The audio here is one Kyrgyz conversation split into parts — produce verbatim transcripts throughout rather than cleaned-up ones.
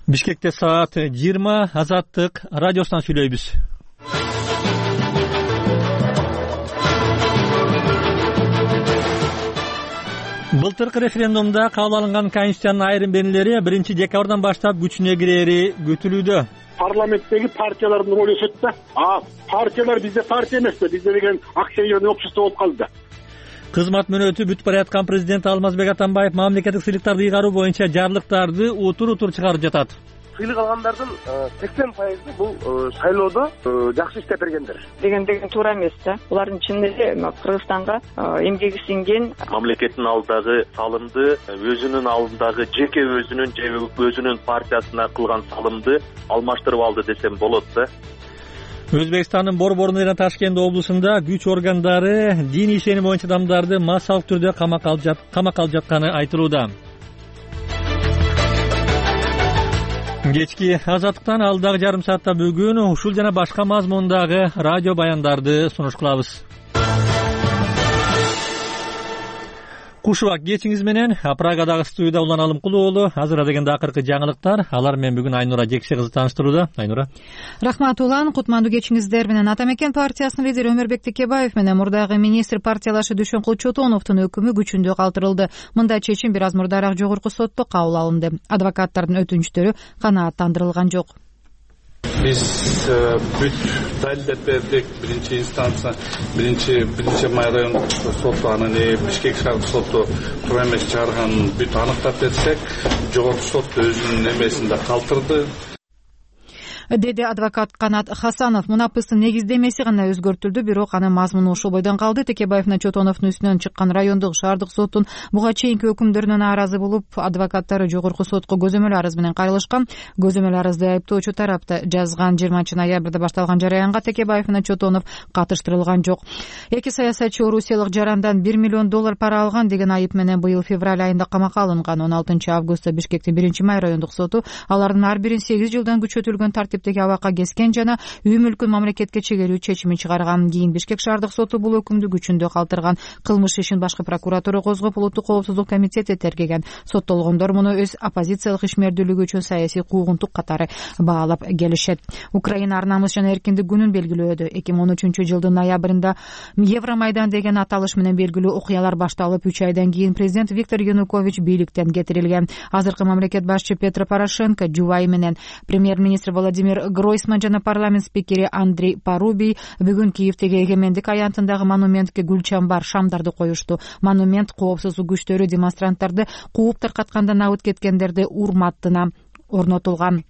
Бишкекте саат жыйырма. Азаттык радиосунан сүйлөйбүз. Былтыркы референдумда кабыл алынган конституциянын айрым бенелери биринчи декабрдан баштап күчүнө кирери күтүлүүдө. Парламенттеги партиялардын ролу өсөт да. А партиялар бизде партия эмеспи, бизде деген акционерный общество болуп калды да. Кызмат мөөнөтү бүтүп бараткан президент Алмазбек Атамбаев мамлекеттик сыйлыктарды ыйгаруу боюнча жарлыктарды утур утур чыгарып жатат. Сыйлык алгандардын сексен пайызы бул шайлоодо жакшы иштеп бергендер деген деген туура эмес да. Булардын ичинде Кыргызстанга эмгеги сиңген, мамлекеттин алдындагы салымды, өзүнүн алдындагы жеке өзүнүн же өзүнүн партиясына кылган салымды алмаштырып алды десем болот да. Өзбекстандын Борборунда жана Ташкент облусунда күч органдары дин ишеними боюнча адамдарды массалык түрдө камакка алып жатканы айтылууда. Кечки Азаттыктан алдагы жарым саатта бүгүн ушул жана башка мазмундагы радио баяндарды сунуш кылабыз. Кушубак кечиңиз менен Прагадагы студияда Улан Алымкулуу уулу. Азыр дегенде акыркы жаңылыктар. Алар менен бүгүн Айнура Жекше кызы тааныштырууда. Айнура. Рахмат Улан. Кутмандуу кечиңиздер менен. Атамекен партиясынын лидери Өмөрбек Текебаев менен мурдагы министр партиялашы Дүйшөнкул Чотоновдун өкүмү күчүндө калтырылды. Мындай чечим бир аз мурдараак жогорку сотто кабыл алынды. Адвокаттардын өтүнүчтөрү канааттандырылган жок. Биз бүт далилдеп бердик. Биринчи инстанция, биринчи биринчи май райондук соту, анан Бишкек шаардык соту туура эмес чыгарганын бүт аныктап берсек, жогорку сот өзүнүн эмесинде калтырды, деди адвокат Канат Хасанов. Мунапыстын негиздемеси гана өзгөртүлдү, бирок анын мазмуну ошол бойдон калды. Текебаев менен Чотоновдун үстүнөн чыккан райондук шаардык соттун буга чейинки өкүмдөрүнө нааразы болуп, адвокаттары жогорку сотко көзөмөл арыз менен кайрылышкан. Көзөмөл арызды айыптоочу тарапта жазган. жыйырманчы ноябрда башталган жараянга Текебаев менен Чотонов катыштырылган жок. Эки саясатчы орусиялык жарандан бир миллион доллар пара алган деген айып менен быйыл февраль айында камакка алынган. он алтынчы августта Бишкектин биринчи май райондук соту алардын ар бирин сегиз жылдан күчөтүлгөн тартиптеги абакка кескен жана үй мүлкүн мамлекетке чегерүү чечимин чыгарган. Кийин Бишкек шаардык соту бул өкүмдү күчүндө калтырган. Кылмыш ишин башкы прокуратура козгоп, улуттук коопсуздук комитети тергеген. Соттолгондор муну өз оппозициялык ишмердүүлүгү үчүн саясий куугунтук катары баалап келишет. Украина ар намыс жана эркиндик күнүн белгилөөдө. эки миң он үчүнчү жылдын ноябрында Евромайдан деген аталыш менен белгилүү окуялар башталып, үч айдан кийин президент Виктор Янукович бийликтен кетирилген. Азыркы мамлекет башчы Петро Порошенко жубайы менен премьер-министр Владимир Гройсман жана парламент спикери Андрей Парубий бүгүн Киевдеги эгемендик аянтындагы монументке гүл чамбар, шамдарды коюшту. Монумент коопсуздук күчтөрү демонстранттарды кууп таркатканда набыт кеткендерди урматтына орнотулган.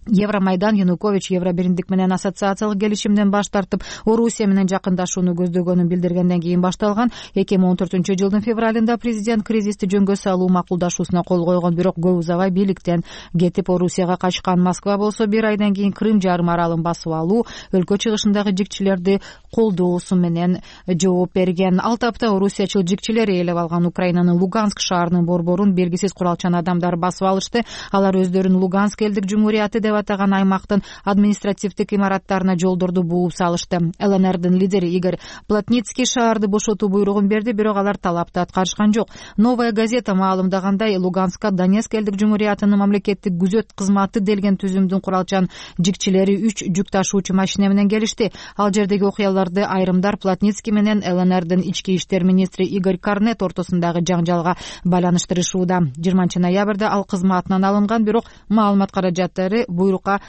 Евромайдан Янукович Евробиримдик менен ассоциациялык келишимден баш тартып, Орусия менен жакындашууну көздөгөнүн билдиргенден кийин башталган. эки миң он төртүнчү жылдын февралында президент кризисти жөнгө салуу макулдашуусуна кол койгон, бирок көп узабай бийликтен кетип Орусияга качкан. Москва болсо бир айдан кийин Крым жарым аралын басып алуу, өлкө чыгышындагы жикчилерди колдоосу менен жооп берген. Ал тапта орусиячыл жикчилер ээлеп алган Украинанын Луганск шаарынын борборун белгисиз куралчан адамдар басып алышты. Алар өздөрүн Луганск элдик жумурияты деп атаган аймактын административдик имараттарына жолдорду бууп салышты. ЛНРдин лидери Игорь Плотницкий шаарды бошотуу буйругун берди, бирок алар талапты аткарышкан жок. Новая газета маалымдагандай, Луганскка Донецк элдик жумуриятынын мамлекеттик күзөт кызматы делген түзүмдүн куралчан жикчилери үч жүк ташуучу машина менен келишти. Ал жердеги окуяларды айрымдар Плотницкий менен ЛНРдин ички иштер министри Игорь Карнет ортосундагы жаңжалга байланыштырышууда. жыйырманчы ноябрда ал кызматынан алынган, бирок маалымат каражаттары буйрукка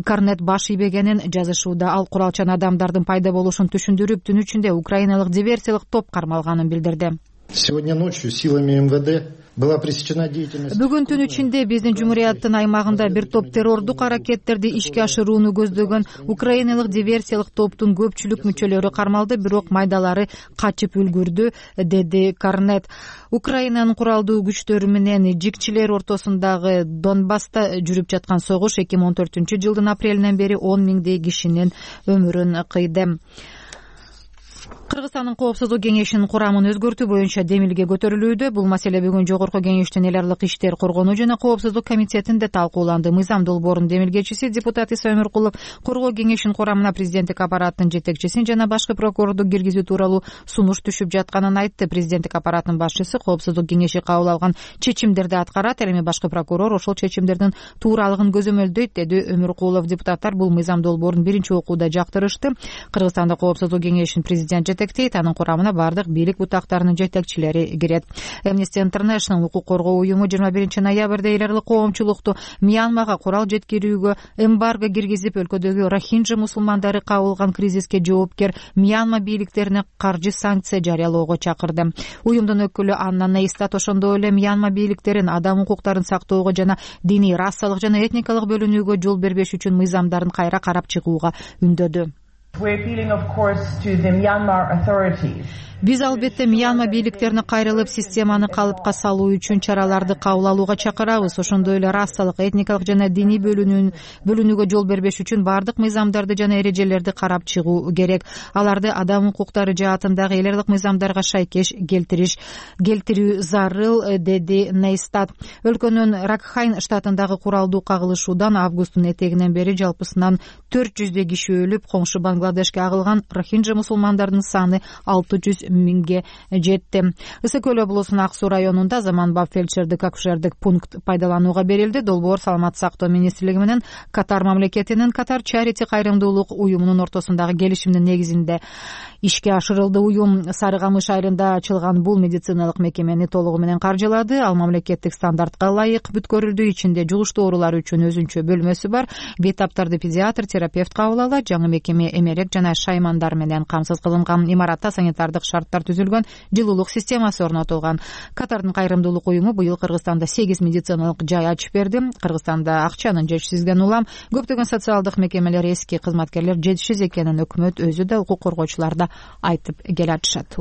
Карнет баш ийбегенин жазышууда. Ал куралчан адамдардын пайда болушун түшүндүрүп, түн ичинде украиналык диверсиялык топ кармалганын билдирди. Сегодня ночью силами МВД была пресечена деятельность. Бүгүн түн ичинде биздин жумурияттын аймагында бир топ террордук аракеттерди ишке ашырууну көздөгөн украиналык диверсиялык топтун көпчүлүк мүчөлөрү кармалды, бирок майдалары качып үлгүрдү, деди Карнет. Украинанын куралдуу күчтөрү менен жикчилер ортосундагы Донбасста жүрүп жаткан согуш эки миң он төртүнчү жылдын апрелинен бери он миңдей кишинин өмүрүн кыйды. Кыргызстандын коопсуздук кеңешинин курамын өзгөртүү боюнча демилге көтөрүлүүдө. Бул маселе бүгүн Жогорку кеңештин эл аралык иштер коргонуу жана коопсуздук комитетинде талкууланды. Мыйзам долбоорунун демилгечиси депутат Иса Өмүркулов коргоо кеңешинин курамына президенттик аппараттын жетекчисин жана башкы прокурорду киргизүү тууралуу сунуш түшүп жатканын айтты. Президенттик аппараттын башчысы коопсуздук кеңеши кабыл алган чечимдерди аткарат, ал эми башкы прокурор ошол чечимдердин тууралыгын көзөмөлдөйт, деди Өмүркулов. Депутаттар бул мыйзам долбоорун биринчи окууда жактырышты. Кыргызстанда коопсуздук кеңешин президент жетектейт, анын курамына бардык бийлик бутактарынын жетекчилери кирет. Amnesty International укук коргоо уюму жыйырма биринчи ноябрда эл аралык коомчулукту Мьянмага курал жеткирүүгө эмбарго киргизип, өлкөдөгү рохинджа мусулмандары кабыл алган кризиске жоопкер Мьянма бийликтерине каржы санкция жарыялоого чакырды. Уюмдун өкүлү Анна Нейстат ошондой эле Мьянма бийликтерин адам укуктарын сактоого жана диний, расалык жана этникалык бөлүнүүгө жол бербеш үчүн мыйзамдарын кайра карап чыгууга үндөдү. Биз албетте Мьянма бийликтерине кайрылып, системаны калыпка салуу үчүн чараларды кабыл алууга чакырабыз. Ошондой эле расалык, этникалык жана диний бөлүнүүгө жол бербеш үчүн бардык мыйзамдарды жана эрежелерди карап чыгуу керек. Аларды адам укуктары жаатындагы эл аралык мыйзамдарга шайкеш келтириш келтирүү зарыл, деди Нейстат. Өлкөнүн Ракхайн штатындагы куралдуу кагылышуудан августтун этегинен бери жалпысынан төрт жүздөй киши өлүп, коңшу Бангладешке агылган рохинджа мусулмандардын саны алты жүз миңге жетти. Ысык көл облусунун Ак Суу районунда заманбап фельдшердик акушердик пункт пайдаланууга берилди. Долбоор Саламаттык сактоо министрлиги менен Катар мамлекетинин Катар Чарити кайрымдуулук уюмунун ортосундагы келишимдин негизинде ишке ашырылды. Уюм Сары Камыш айылында ачылган бул медициналык мекемени толугу менен каржылады. Ал мамлекеттик стандартка ылайык бүткөрүлдү. Ичинде жугуштуу оорулар үчүн өзүнчө бөлмөсү бар. Бейтаптарды педиатр, терапевт кабыл алат. Жаңы мекеме эмерек жана шаймандар менен камсыз кылынган. Имаратта санитардык шарттар түзүлгөн, жылуулук системасы орнотулган. Катардын кайрымдуулук уюму быйыл Кыргызстанда сегиз медициналык жай ачып берди. Кыргызстанда акчанын жетишсиздигинен улам көптөгөн социалдык мекемелер эски, кызматкерлер жетишсиз экенин өкмөт өзү да, укук коргоочулар да айтып келатышат.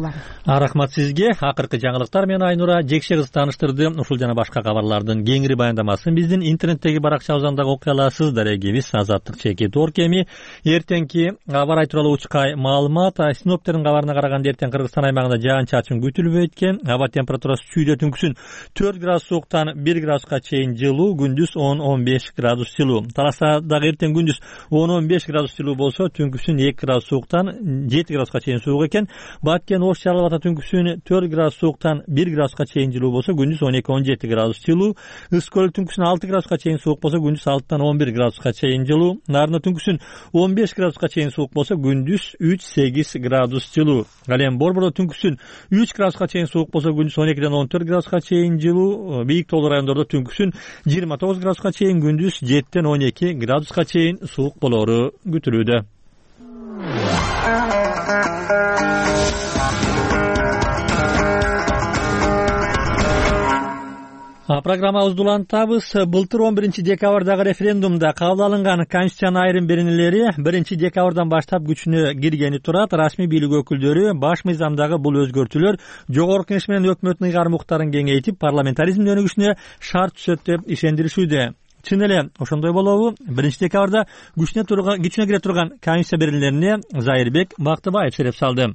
Рахмат сизге. Акыркы жаңылыктар менен Айнура Жекше кыз тааныштырды. Ушул жана башка кабарлардын кеңири баяндамасын биздин интернеттеги баракчабыздан дагы окуй аласыз. Дарегибиз Азаттык чеки Торкеми. Эртеңки аба ырайы тууралуу учкай маалымат. Синоптиктердин кабарына караганда эртең Кыргызстан аймагында жаан-чачын күтүлбөйт экен. Аба температурасы түздө түнкүсүн төрт градус сууктан бир градуска чейин жылуу, күндүз он он беш градус жылуу. Таласта дагы эртең күндүз он он беш градус жылуу болсо, түнкүсүн эки градус сууктан жети градуска чейин суук экен. Баткен Ош Жалал Ата түнкүсүн төрт градус сууктан бир градуска чейин жылуу болсо, күндүз он эки он жети градус жылуу. Ысык көл түнкүсүн алты градуска чейин суук болсо, күндүз алтыдан он бир градуска чейин жылуу. Нарында түнкүсүн он беш градуска чейин суук болсо, күндүз үч сегиз градус жылуу. Ал эми Борбордо түнкүсүн үч градуска чейин суук болсо, күндүз он экиден он төрт градуска чейин жылуу. Бийик тоолуу райондордо түнкүсүн жыйырма тогуз градуска чейин, күндүз жетиден он эки градуска чейин суук болору күтүлүүдө. Программабызды улантабыз. Былтыр он биринчи декабрдагы референдумда кабыл алынган конституциянын айрым беренелери биринчи декабрдан баштап күчүнө киргени турат. Расмий бийлик өкүлдөрү баш мыйзамдагы бул өзгөртүүлөр Жогорку Кеңеш менен өкмөттүн ыйгарым укуктарын кеңейтип, парламентаризмдин өнүгүшүнө шарт түзөт деп ишендиришүүдө. Чын эле ошондой болобу? биринчи декабрда күчүнө турган күчүнө кире турган конституция беренелерине Зайырбек Бактыбаев сереп салды.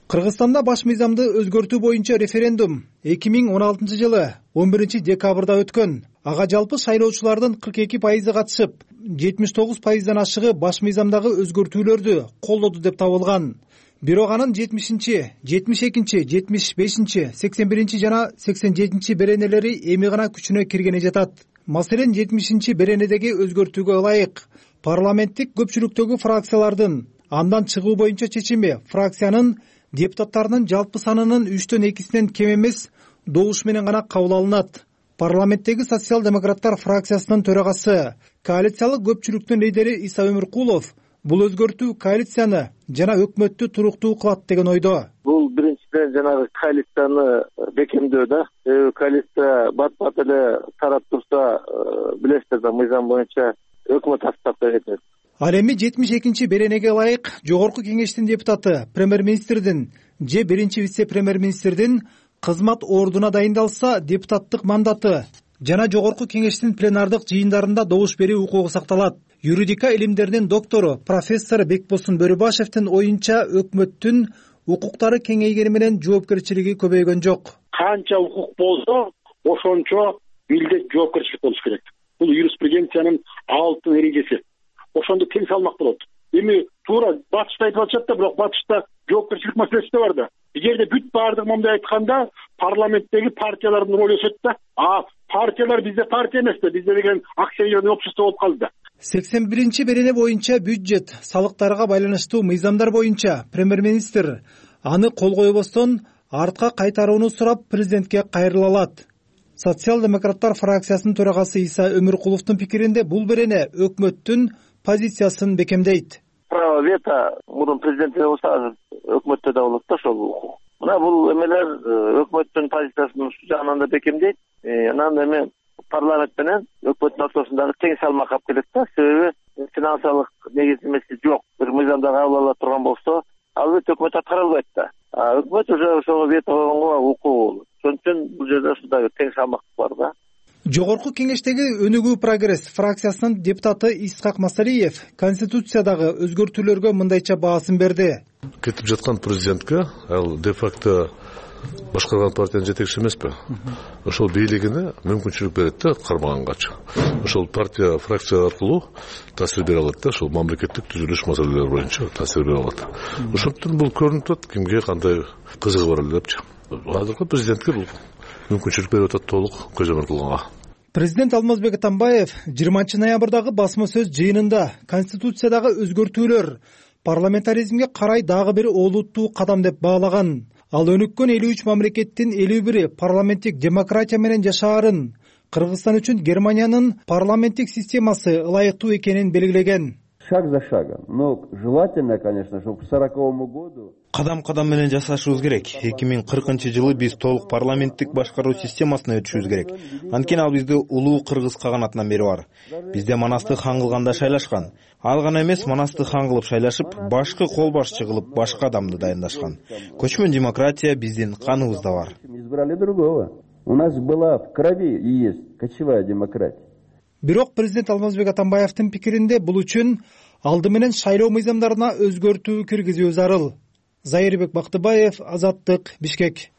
Кыргызстанда баш мыйзамды өзгөртүү боюнча референдум эки миң он алтынчы жылы он биринчи декабрда өткөн. Ага жалпы шайлоочулардын кырк эки пайызы катышып, жетимиш тогуз пайыздан ашыгы баш мыйзамдагы өзгөртүүлөрдү колдоду деп табылган. Бирок анын жетимишинчи, жетимиш экинчи, жетимиш бешинчи, сексен биринчи жана сексен жетинчи беренелери эми гана күчүнө киргене жатат. Маселен, жетимишинчи беренедеги өзгөртүүгө ылайык парламенттик көпчүлүктөгү фракциялардын андан чыгуу боюнча чечими фракциянын депутаттарынын жалпы санынын үчтөн экисинен кем эмес добуш менен гана кабыл алынат. Парламенттеги социал-демократтар фракциясынын төрагасы, коалициялык көпчүлүктүн лидери Иса Өмүркулов бул өзгөртүү коалицияны жана өкмөттү туруктуу кылат деген ойдо. Бул биринчиден жанагы коалицияны бекемдөө да. Коалиция бат-бат эле тарап турса, билесиздер да, мыйзам боюнча өкмөт состапка кетет. Ал эми жетимиш экинчи беренеге ылайык Жогорку Кеңештин депутаты, премьер-министрдин же биринчи вице-премьер-министрдин кызмат ордуна дайындалса, депутаттык мандаты жана Жогорку Кеңештин пленардык жыйындарында добуш берүү укугу сакталат. Юридика илимдеринин доктору профессор Бекбосун Бөрүбашевдин оюнча, өкмөттүн укуктары кеңейгени менен жоопкерчилиги көбөйгөн жок. Канча укук болсо, ошончо милдет жоопкерчилик болуш керек. Бул юриспруденциянын алтын эрежеси. Ошондо тең салмак болот. Эми туура батышта айтып атышат да, бирок батышта жоопкерчилик маселеси да бар да. Эгерде бүт баардыгы момундай айтканда, парламенттеги партиялардын ролу өсөт да. А партиялар бизде партия эмес да, бизде деген акционерный общество болуп калды да. сексен биринчи берене боюнча бюджет, салыктарга байланыштуу мыйзамдар боюнча премьер-министр аны кол койбостон артка кайтарууну сурап президентке кайрыла алат. Социал-демократтар фракциясынын төрагасы Иса Өмүркуловдун пикиринде бул берене өкмөттүн позициясын бекемдейт. Право вето мурун президентте болсо өкмөттө да болот да ошол. Мына бул эмелер өкмөттүн позициясын ушул жагынан да бекемдейт. Анан эми парламент менен өкмөттүн ортосундагы тең салмак алып келет да. Себеби финансылык негиздемеси жок. Бир мыйзамда кабыл ала турган болсо, албетте өкмөт аткара албайт да. А өкмөт уже ошого вето койгонго укугу болот. Ошон үчүн бул жерде ушундай тең салмак бар да. Жогорку кеңештеги өнүгүү прогресс фракциясынын депутаты Исхак Масалиев конституциядагы өзгөртүүлөргө мындайча баасын берди. Кетип жаткан президентке ал де факто башкарган партиянын жетекчиси эмеспи? Ошол бийлигине мүмкүнчүлүк берет да кармаганганча. Ошол партия фракция аркылуу таасир бере алат да, ошол мамлекеттик түзүлүш маселелери боюнча таасир бере алат. Ошондуктан бул көрүнүп турат кимге кандай кызыгы бар эле депчи. Азыркы президентке бул мүмкүнчүлүк берип атат толук көзөмөл кылганга. Президент Алмазбек Атамбаев жыйырманчы ноябрдагы басма сөз жыйынында конституциядагы өзгөртүүлөр парламентаризмге карай дагы бир олуттуу кадам деп баалаган. Ал өнүккөн элүү үч мамлекеттин элүү бири парламенттик демократия менен жашаарын, Кыргызстан үчүн Германиянын парламенттик системасы ылайыктуу экенин белгилеген. Шаг за шагом, но желательно, конечно, чтобы к сороковому году кадам-кадам менен жасашыбыз керек. эки миң кыркынчы жылы биз толук парламенттик башкаруу системасына өтүшүбүз керек. Анткени ал бизди улуу кыргыз каганатынан бери бар. Бизде Манастык хан кылганда шайлашкан. Ал гана эмес, Манастык хан кылып шайлашып, башкы кол башчы кылып башка адамды дайындашкан. Көчмөн демократия биздин каныбызда бар. Избрали другого. У нас была в крови и есть кочевая демократия. Бирок президент Алмазбек Атамбаевдин пикиринде бул үчүн алды менен шайлоо мыйзамдарына өзгөртүү киргизүү зарыл. Зайырбек Бактыбаев, Азаттык, Бишкек.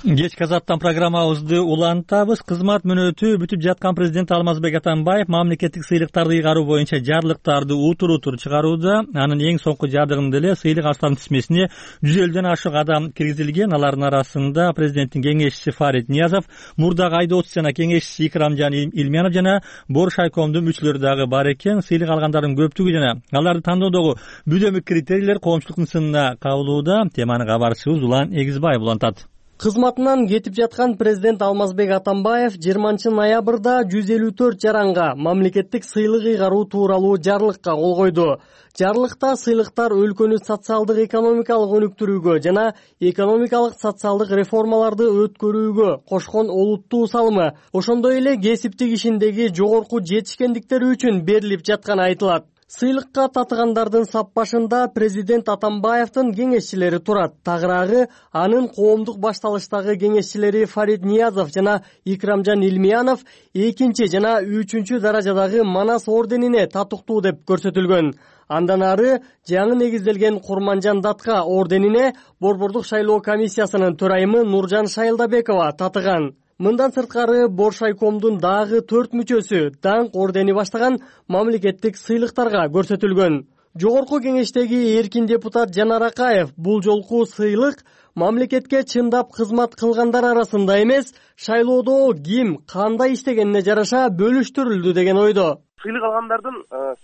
Кечки Азаттан программабызды улантабыз. Кызмат мөөнөтү бүтүп жаткан президент Алмазбек Атамбаев мамлекеттик сыйлыктарды ыйгаруу боюнча жарлыктарды утур-утур чыгарууда. Анын эң соңку жабдыгында эле сыйлык аштардын тизмесине жүз элүүдөн ашык адам киргизилген. Алардын арасында президенттин кеңешчиси Фарид Ниязов, мурдагы айдоочу жана кеңешчиси Икрамжан Илмянов жана Боршайкомдун мүчөлөрү дагы бар экен. Сыйлык алгандардын көптүгү жана аларды тандоодогу бүдөмүк критерийлер коомчулуктун сынына кабылууда. Теманы кабарчыбыз Улан Эгизбаев улантат. Кызматынан кетип жаткан президент Алмазбек Атамбаев жыйырманчы ноябрда жүз элүү төрт жаранга мамлекеттик сыйлык ыйгаруу тууралуу жарлыкка кол койду. Жарлыкта сыйлыктар өлкөнү социалдык экономикалык өнүктүрүүгө жана экономикалык социалдык реформаларды өткөрүүгө кошкон олуттуу салымы, ошондой эле кесиптик ишиндеги жогорку жетишкендиктери үчүн берилип жатканы айтылат. Сыйлыкка татыгандардын сап башында президент Атамбаевдин кеңешчилери турат. Тагыраагы анын коомдук башталыштагы кеңешчилери Фарид Ниязов жана Икрамжан Илмянов экинчи жана үчүнчү даражадагы Манас орденине татыктуу деп көрсөтүлгөн. Андан ары жаңы негизделген Курманжан Датка орденине Борбордук шайлоо комиссиясынын төрайымы Нуржан Шайылдабекова татыган. Мындан сырткары Боршайкомдун дагы төрт мүчөсү даңк ордени баштаган мамлекеттик сыйлыктарга көрсөтүлгөн. Жогорку кеңештеги эркин депутат Жанар Акаев бул жолку сыйлык мамлекетке чындап кызмат кылгандар арасында эмес, шайлоодо ким кандай иштегенине жараша бөлүштүрүлдү деген ойдо. Сыйлык алгандардын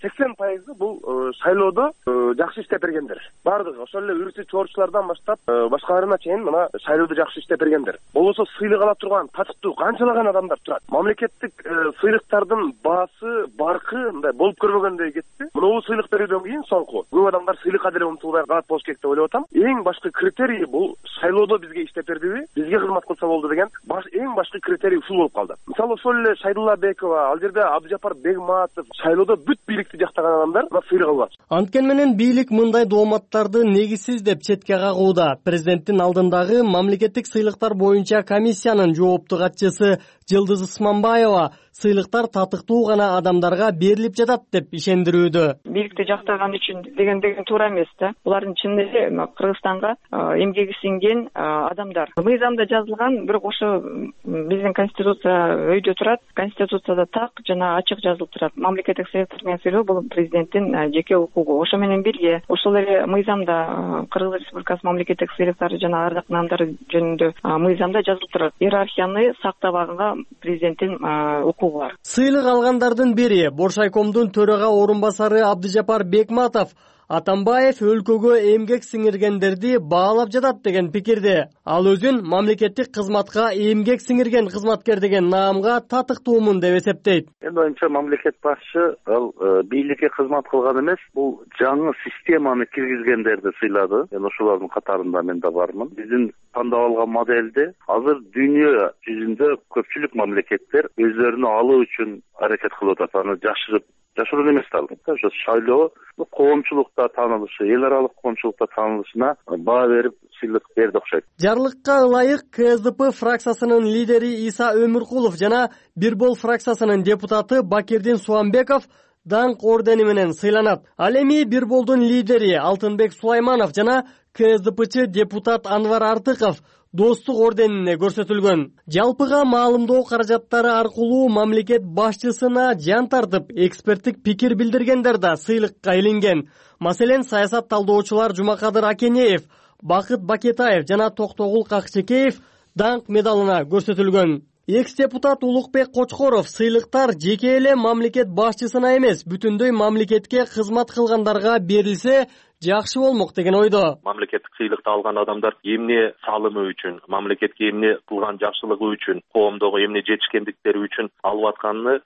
сексен пайызы бул шайлоодо жакшы иштеп бергендер. Бардыгы ошол эле үрчү чоорчулардан баштап башкаларына чейин мына шайлоодо жакшы иштеп бергендер. Болбосо сыйлык ала турган татыктуу канчалаган адамдар турат. Мамлекеттик сыйлыктардын баасы, баркы мындай болуп көрбөгөндөй кетти. Мына сыйлык берүүдөн кийин соңку көп адамдар сыйлыкка деле умтулбай калат болуш керек деп ойлоп атам. Эң башкы критерий бул шайлоодо бизге иштеп бердиби, бизге кызмат кылса болду деген баш эң башкы критерий ушул болуп калды. Мисалы ошол эле Шайдулла Бекова, ал жерде Абдыжапар Бегма катышып шайлоодо бүт бийликти жактаган адамдар мына сыйлык алып атышат. Анткени менен бийлик мындай дооматтарды негизсиз деп четке кагууда. Президенттин алдындагы мамлекеттик сыйлыктар боюнча комиссиянын жоопту катчысы Жылдыз Ысманбаева сыйлыктар татыктуу гана адамдарга берилип жатат деп ишендирүүдө. Бийликти жактаган үчүн деген деген туура эмес да. Булардын чын эле Кыргызстанга эмгеги сиңген адамдар. Мыйзамда жазылган, бирок ошо биздин конституция өйдө турат. Конституцияда так жана ачык жазылып турат. Мамлекеттик сыйлыктар менен сыйлоо бул президенттин жеке укугу. Ошо менен бирге ошол эле мыйзамда Кыргыз Республикасы мамлекеттик сыйлыктары жана ардак наамдары жөнүндө мыйзамда жазылып турат. Иерархияны сактабаганга президенттин укугу бар. Сыйлык алгандардын бири Боршайкомдун төрага орун басары Абдыжапар Бекматов Атамбаев өлкөгө эмгек сиңиргендерди баалап жатат деген пикирде. Ал өзүн мамлекеттик кызматка эмгек сиңирген кызматкер деген наамга татыктуумун деп эсептейт. Эми оюмча мамлекет башчы ал бийликке кызмат кылган эмес, бул жаңы системаны киргизгендерди сыйлады. Мен ошолордун катарында мен да бармын. Биздин тандап алган моделде азыр дүйнө жүзүндө көпчүлүк мамлекеттер өздөрүнө алуу үчүн аракет кылып атат. Аны жашырып жашыруун эмес да. Ошо шайлоо коомчулукта таанылышы, эл аралык коомчулукта таанылышына баа берип сыйлык берди окшойт. Жарлыкка ылайык КСДП фракциясынын лидери Иса Өмүркулов жана Бирбол фракциясынын депутаты Бакирдин Суамбеков даңк ордени менен сыйланат. Ал эми Бирболдун лидери Алтынбек Сулайманов жана КСДПчы депутат Анвар Артыков достук орденине көрсөтүлгөн. Жалпыга маалымдоо каражаттары аркылуу мамлекет башчысына жан тартып, эксперттик пикир билдиргендер да сыйлыкка илинген. Маселен, саясат талдоочулар Жумакадыр Акенеев, Бакыт Бакетаев жана Токтогул Какчекеев даңк медалына көрсөтүлгөн. Экс-депутат Улукбек Кочкоров сыйлыктар жеке эле мамлекет башчысына эмес, бүтүндөй мамлекетке кызмат кылгандарга берилсе жакшы болмок деген ойдо. Мамлекеттик сыйлыкты алган адамдар эмне салымы үчүн, мамлекетке эмне кылган жакшылыгы үчүн, коомдогу эмне жетишкендиктери үчүн алып атканын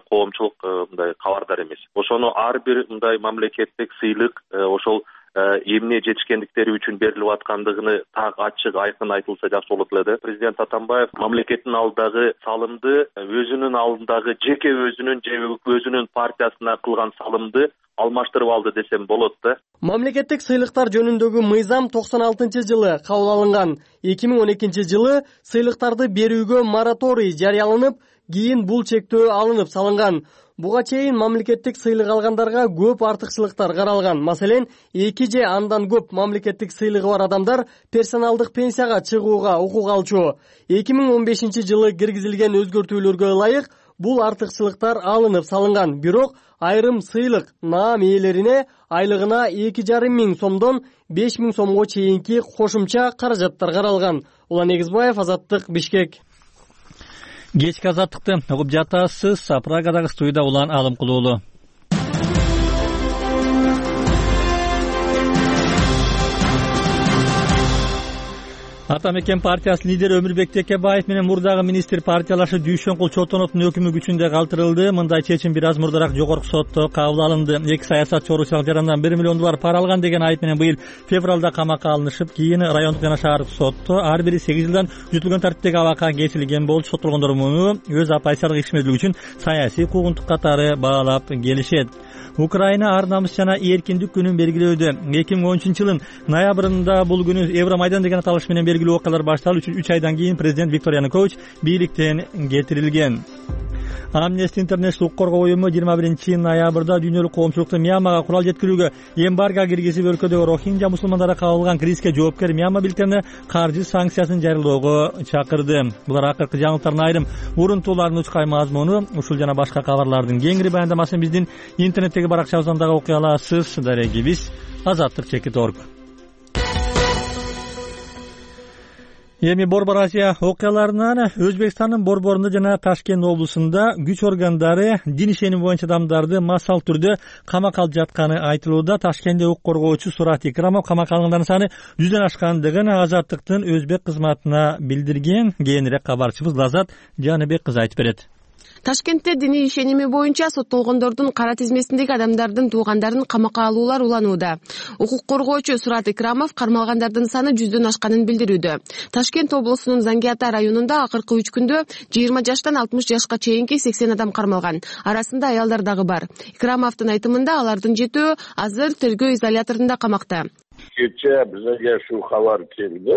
коомчулук мындай кабардар эмес. Ошону ар бир мындай мамлекеттик сыйлык ошол эмне жетишкендиктери үчүн берилип аткандыгыны так ачык айкын айтылса жакшы болот эле да. Президент Атамбаев мамлекеттин алдындагы салымды өзүнүн алдындагы жеке өзүнүн же өзүнүн партиясына кылган салымды алмаштырып алды десем болот да. Мамлекеттик сыйлыктар жөнүндөгү мыйзам токсон алтынчы жылы кабыл алынган. эки миң он экинчи жылы сыйлыктарды берүүгө мораторий жарыяланып, кийин бул чектөө алынып салынган. Буга чейин мамлекеттик сыйлык алгандарга көп артыкчылыктар каралган. Маселен, эки же андан көп мамлекеттик сыйлыгы бар адамдар персоналдык пенсияга чыгууга укук алчу. эки миң он бешинчи жылы киргизилген өзгөртүүлөргө ылайык бул артыкчылыктар алынып салынган. Бирок айрым сыйлык наам ээлерине айлыгына эки жарым миң сомдон беш миң сомго чейинки кошумча каражаттар каралган. Улан Негизбаев, Азаттык, Бишкек. Кечки азаттыкты угуп жатасыз. Прагадагы студияда Улан Алымкулуулу. Ата мекен партиясы лидери Өмүрбек Текебаев менен мурдагы министр партиялашы Дүйшөнкул Чотоновдун өкүмү күчүндө калтырылды. Мындай чечим бир аз мурдараак жогорку сотто кабыл алынды. Эки саясатчы Орусиялык жарандан бир миллион доллар пара алган деген айып менен быйыл февралда камакка алынышып, кийин райондук жана шаардык сотто ар бири сегиз жылдан жүтүлгөн тартиптеги абакка кесилген болчу. Соттолгондор муну өз аппозициялык ишмердүүлүгү үчүн саясий куугунтук катары баалап келишет. Украина ар намыс жана эркиндик күнүн белгилөөдө. эки миң он үчүнчү жылдын ноябрында бул күнү Евромайдан деген аталыш менен белгилүү окуялар башталып, үч айдан кийин президент Виктор Янукович бийликтен кетирилген. Amnesty International укук коргоо уюму жыйырма биринчи ноябрда дүйнөлүк коомчулукту Мьянмага курал жеткирүүгө эмбарго киргизип, өлкөдөгү рохинджа мусулмандары кабылган кризиске жоопкер Мьянма бийликтерине каржы санкциясын жарыялоого чакырды. Булар акыркы жаңылыктардын айрым урунтууларынын учкай мазмуну. Ушул жана башка кабарлардын кеңири баяндамасын биздин интернеттеги баракчабыздан дагы окуй аласыз. Дарегибиз азаттык чекит точка орг. Эми Борбор Азия окуяларынан Өзбекстандын Борборунда жана Ташкент облусунда күч органдары дин ишеними боюнча адамдарды массалык түрдө камакка алып жатканы айтылууда. Ташкентте укук коргоочу Сурат Икрамов камакка алгандардын саны жүздөн ашкандыгын Азаттыктын Өзбек кызматына билдирген. Кийинирээк кабарчыбыз Лазат Жаныбек кызы айтып берет. Ташкентте диний ишеними боюнча соттолгондордун кара тизмесиндеги адамдардын туугандарын камакка алуулар уланууда. Укук коргоочу Сурат Икрамов кармалгандардын саны жүздөн ашканын билдирүүдө. Ташкент облусунун Зангиата районунда акыркы үч күндө жыйырма жаштан алтымыш жашка чейинки сексен адам кармалган. Арасында аялдар дагы бар. Икрамовдун айтымында алардын жетөө азыр тергөө изоляторунда камакта. Кечээ бизге ушул кабар келди.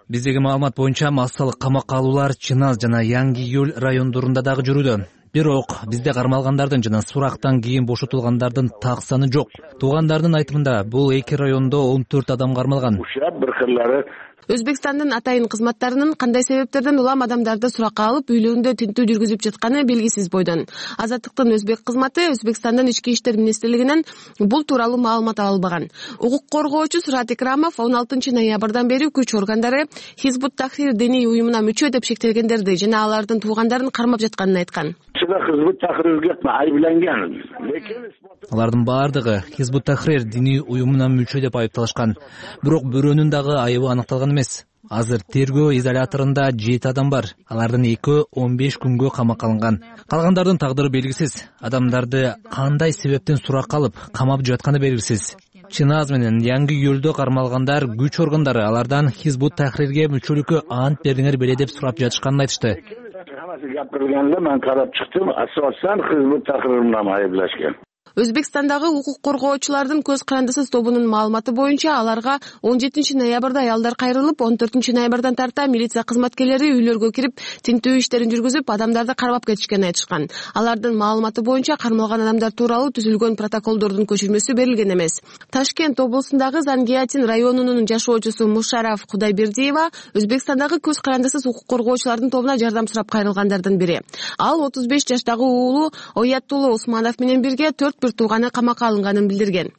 Биздеги маалымат боюнча массалык камакка алуулар Чыназ жана Яңгы Июль райондорунда дагы жүрүүдө. Бирок бизде кармалгандардын жана сурактан кийин бошотулгандардын так саны жок. Туугандардын айтымында бул эки райондо он төрт адам кармалган. Өзбекстандын атайын кызматтарынын кандай себептерден улам адамдарды суракка алып үйлөрүндө тинтүү жүргүзүп жатканы белгисиз бойдон. Азаттыктын өзбек кызматы Өзбекстандын ички иштер министрлигинен бул тууралуу маалымат ала албаган. Укук коргоочу Сурат Икрамов он алтынчы ноябрдан бери күч органдары Хизбут Тахрир диний уюмуна мүчө деп шектелгендерди жана алардын туугандарын кармап жатканын айткан. Хизбут Тахрирге айыпталган. Алардын баардыгы Хизбут Тахрир диний уюмуна мүчө деп айыпталышкан. Бирок бирөөнүн дагы айыбы аныкталган эмес. Азыр тергөө изоляторунда жети адам бар. Алардын экөө он беш күнгө камакка алынган. Калгандардын тагдыры белгисиз. Адамдарды кандай себептен суракка алып, камап жатканы белгисиз. Чыназ менен Яңгы Июльдө кармалгандар күч органдары алардан Хизбут Тахрирге мүчөлүккө ант бериңер беле деп сурап жатышканын айтышты. Гапырганда мен карап чыктым, асосан Хизбут Тахрир менен айыпталышкан. Өзбекстандагы укук коргоочулардын көз карандысыз тобунун маалыматы боюнча аларга он жетинчи ноябрда аялдар кайрылып, он төртүнчү ноябрдан тарта милиция кызматкерлери үйлөргө кирип, тинтүү иштерин жүргүзүп, адамдарды кармап кетишкенин айтышкан. Алардын маалыматы боюнча кармалган адамдар тууралуу түзүлгөн протоколдордун көчүрмөсү берилген эмес. Ташкент облусундагы Зангиатин районунун жашоочусу Мушараф Кудайбердиева Өзбекстандагы көз карандысыз укук коргоочулардын тобуна жардам сурап кайрылгандардын бири. Ал отуз беш жаштагы уулу Оятулла Усманов менен бирге төрт бир тууганы камакка алынганын билдирген.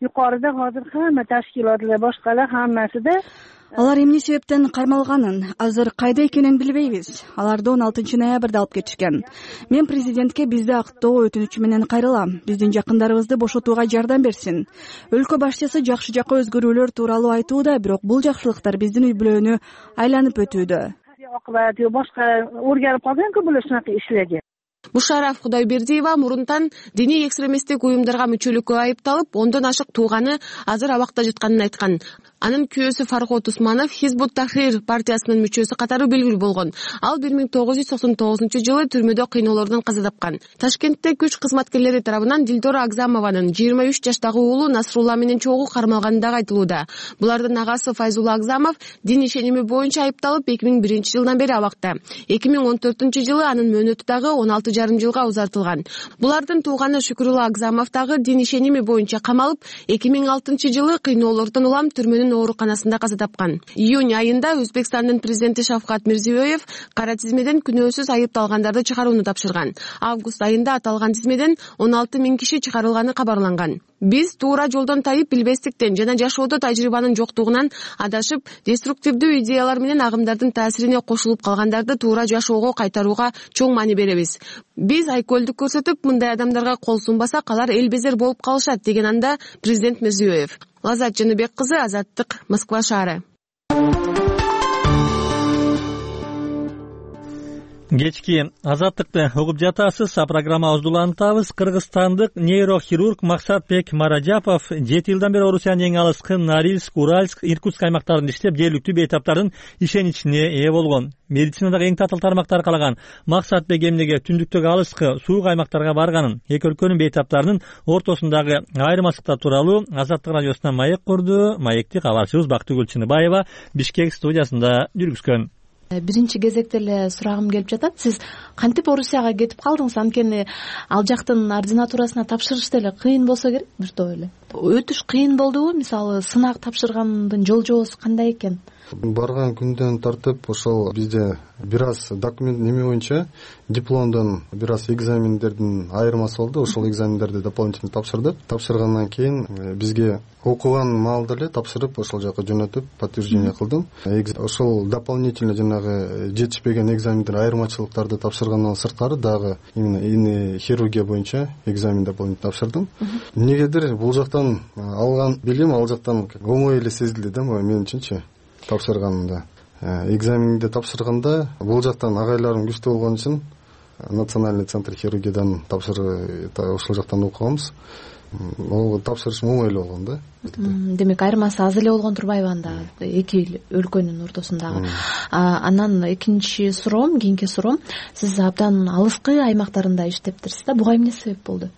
Юкарыда азыр хамма ташкилатлар башкалар хаммасы да алар эмне себептен кармалганын, азыр кайда экенин билбейбиз. Аларды он алтынчы ноябрда алып кетишкен. Мен президентке бизди актоо өтүнүчү менен кайрылам. Биздин жакындарыбызды бошотууга жардам берсин. Өлкө башчысы жакшы жакка өзгөрүүлөр тууралуу айтууда, бирок бул жакшылыктар биздин үй бүлөнү айланып өтүүдө. Башка өргөрүп калган-ку бул ушунака ишлерге. Мушараф Кудайбердиева мурунтан диний экстремисттик уюмдарга мүчөлүккө айыпталып, ондон ашык тууганы азыр абакта жатканын айткан. Анын күйөөсү Фархот Усманов Хизбут Тахрир партиясынын мүчөсү катары белгилүү болгон. Ал бир миң тогуз жүз токсон тогузунчу жылы түрмөдө кыйноолордон каза тапкан. Ташкентте күч кызматкерлери тарабынан Дилдора Агзамованын жыйырма үч жаштагы уулу Насрулла менен чогуу кармалганы дагы айтылууда. Булардын агасы Файзулла Агзамов дин ишеними боюнча айыпталып эки миң биринчи жылдан бери абакта. эки миң он төртүнчү жылы анын мөөнөтү дагы он алты жарым жылга узартылган. Булардын тууганы Шүкүрулла Агзамов дагы дин ишеними боюнча камалып, эки миң алтынчы жылы кыйноолордон улам түрмөнүн ооруканасында каза тапкан. Июнь айында Өзбекстандын президенти Шавкат Мирзиёев кара тизмеден күнөөсүз айыпталгандарды чыгарууну тапшырган. Август айында аталган тизмеден он алты миң киши чыгарылганы кабарланган. Биз туура жолдон тайып билбестиктен жана жашоодо тажрыйбанын жоктугунан адашып, деструктивдүү идеялар менен агымдардын таасирине кошулуп калгандарды туура жашоого кайтарууга чоң маани беребиз. Биз айкөлдүк көрсөтүп, мындай адамдарга кол сунбасак, алар эл безер болуп калышат, деген анда президент Мирзиёев. Лазат Жаныбек кызы, Азаттык, Москва шаары. Кечки Азаттыкты угуп жатасыз. А программабызды улантабыз. Кыргызстандык нейрохирург Максатбек Маражапов жети жылдан бери Орусиянын эң алыскы Норильск, Уральск, Иркутск аймактарында иштеп, жергиликтүү бейтаптардын ишеничине ээ болгон. Медицинадагы эң татыл тармактар калаган Максатбек эмнеге түндүктөгү алыскы, суук аймактарга барганын, эки өлкөнүн бейтаптарынын ортосундагы айырмачылыктар тууралуу Азаттык радиосуна маек курду. Маекти кабарчыбыз Бактыгүл Чыныбаева Бишкек студиясында жүргүзгөн. Биринчи кезекте эле сурагым келип жатат. Сиз кантип Орусияга кетип калдыңыз? Анткени ал жактын ординатурасына тапшырыш деле кыйын болсо керек, бир топ эле. Өтүш кыйын болдубу? Мисалы, сынак тапшыргандын жол жоосу кандай экен? Барган күндөн тартып ошол бизде бир аз документ неме боюнча дипломдон бир аз экзамендердин айырмасы болду. Ошол экзамендерди дополнительно тапшырдык. Тапшыргандан кийин бизге окуган маалда эле тапшырып, ошол жака жөнөтүп, подтверждение кылдым. Ошол дополнительно жанагы жетишпеген экзамендер айырмачылыктарды тапшыргандан сырткары дагы именно хирургия боюнча экзамен дополнительно тапшырдым. Эмнегедир бул жактан алган билим ал жактан оңой эле сезилди да мен үчүнчү. Тапшырганымда экзаменди тапшырганда бул жактан агайларым күчтүү болгон үчүн национальный центр хирургиядан тапшыр ошол жактан окуганбыз. Ол тапшырышым оңой эле болгон да. Демек айырмасы аз эле болгон турбайбы анда эки өлкөнүн ортосундагы? Анан экинчи суроом, кийинки суроом, сиз абдан алыскы аймактарында иштептирсиз да, буга эмне себеп болду?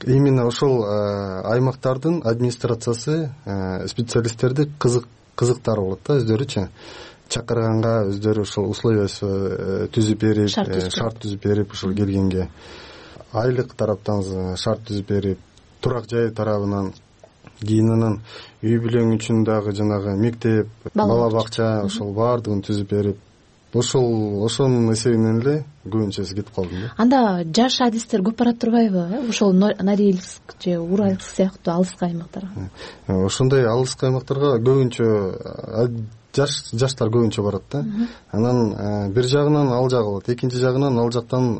Именно ошол аймактардын администрациясы специалисттерди кызык кызыктары болот да, өздөрүчү чакырганга өздөрү ошол условиясы түзүп берип, шарт түзүп берип, ошол келгенге айлык тараптан шарт түзүп берип, турак жай тарабынан, кийин анан үй бүлөң үчүн дагы жанагы мектеп, бала бакча ошол баардыгын түзүп берип, ошол ошонун эсебинен эле көбүнчөсү кетип калдым да. Анда жаш адистер көп барат турбайбы? Ошол Норильск же Уральск сыяктуу алыскы аймактарга. Ошондой алыскы аймактарга көбүнчө жаш жаштар көбүнчө барат да. Анан бир жагынан ал жагы болот, экинчи жагынан ал жактан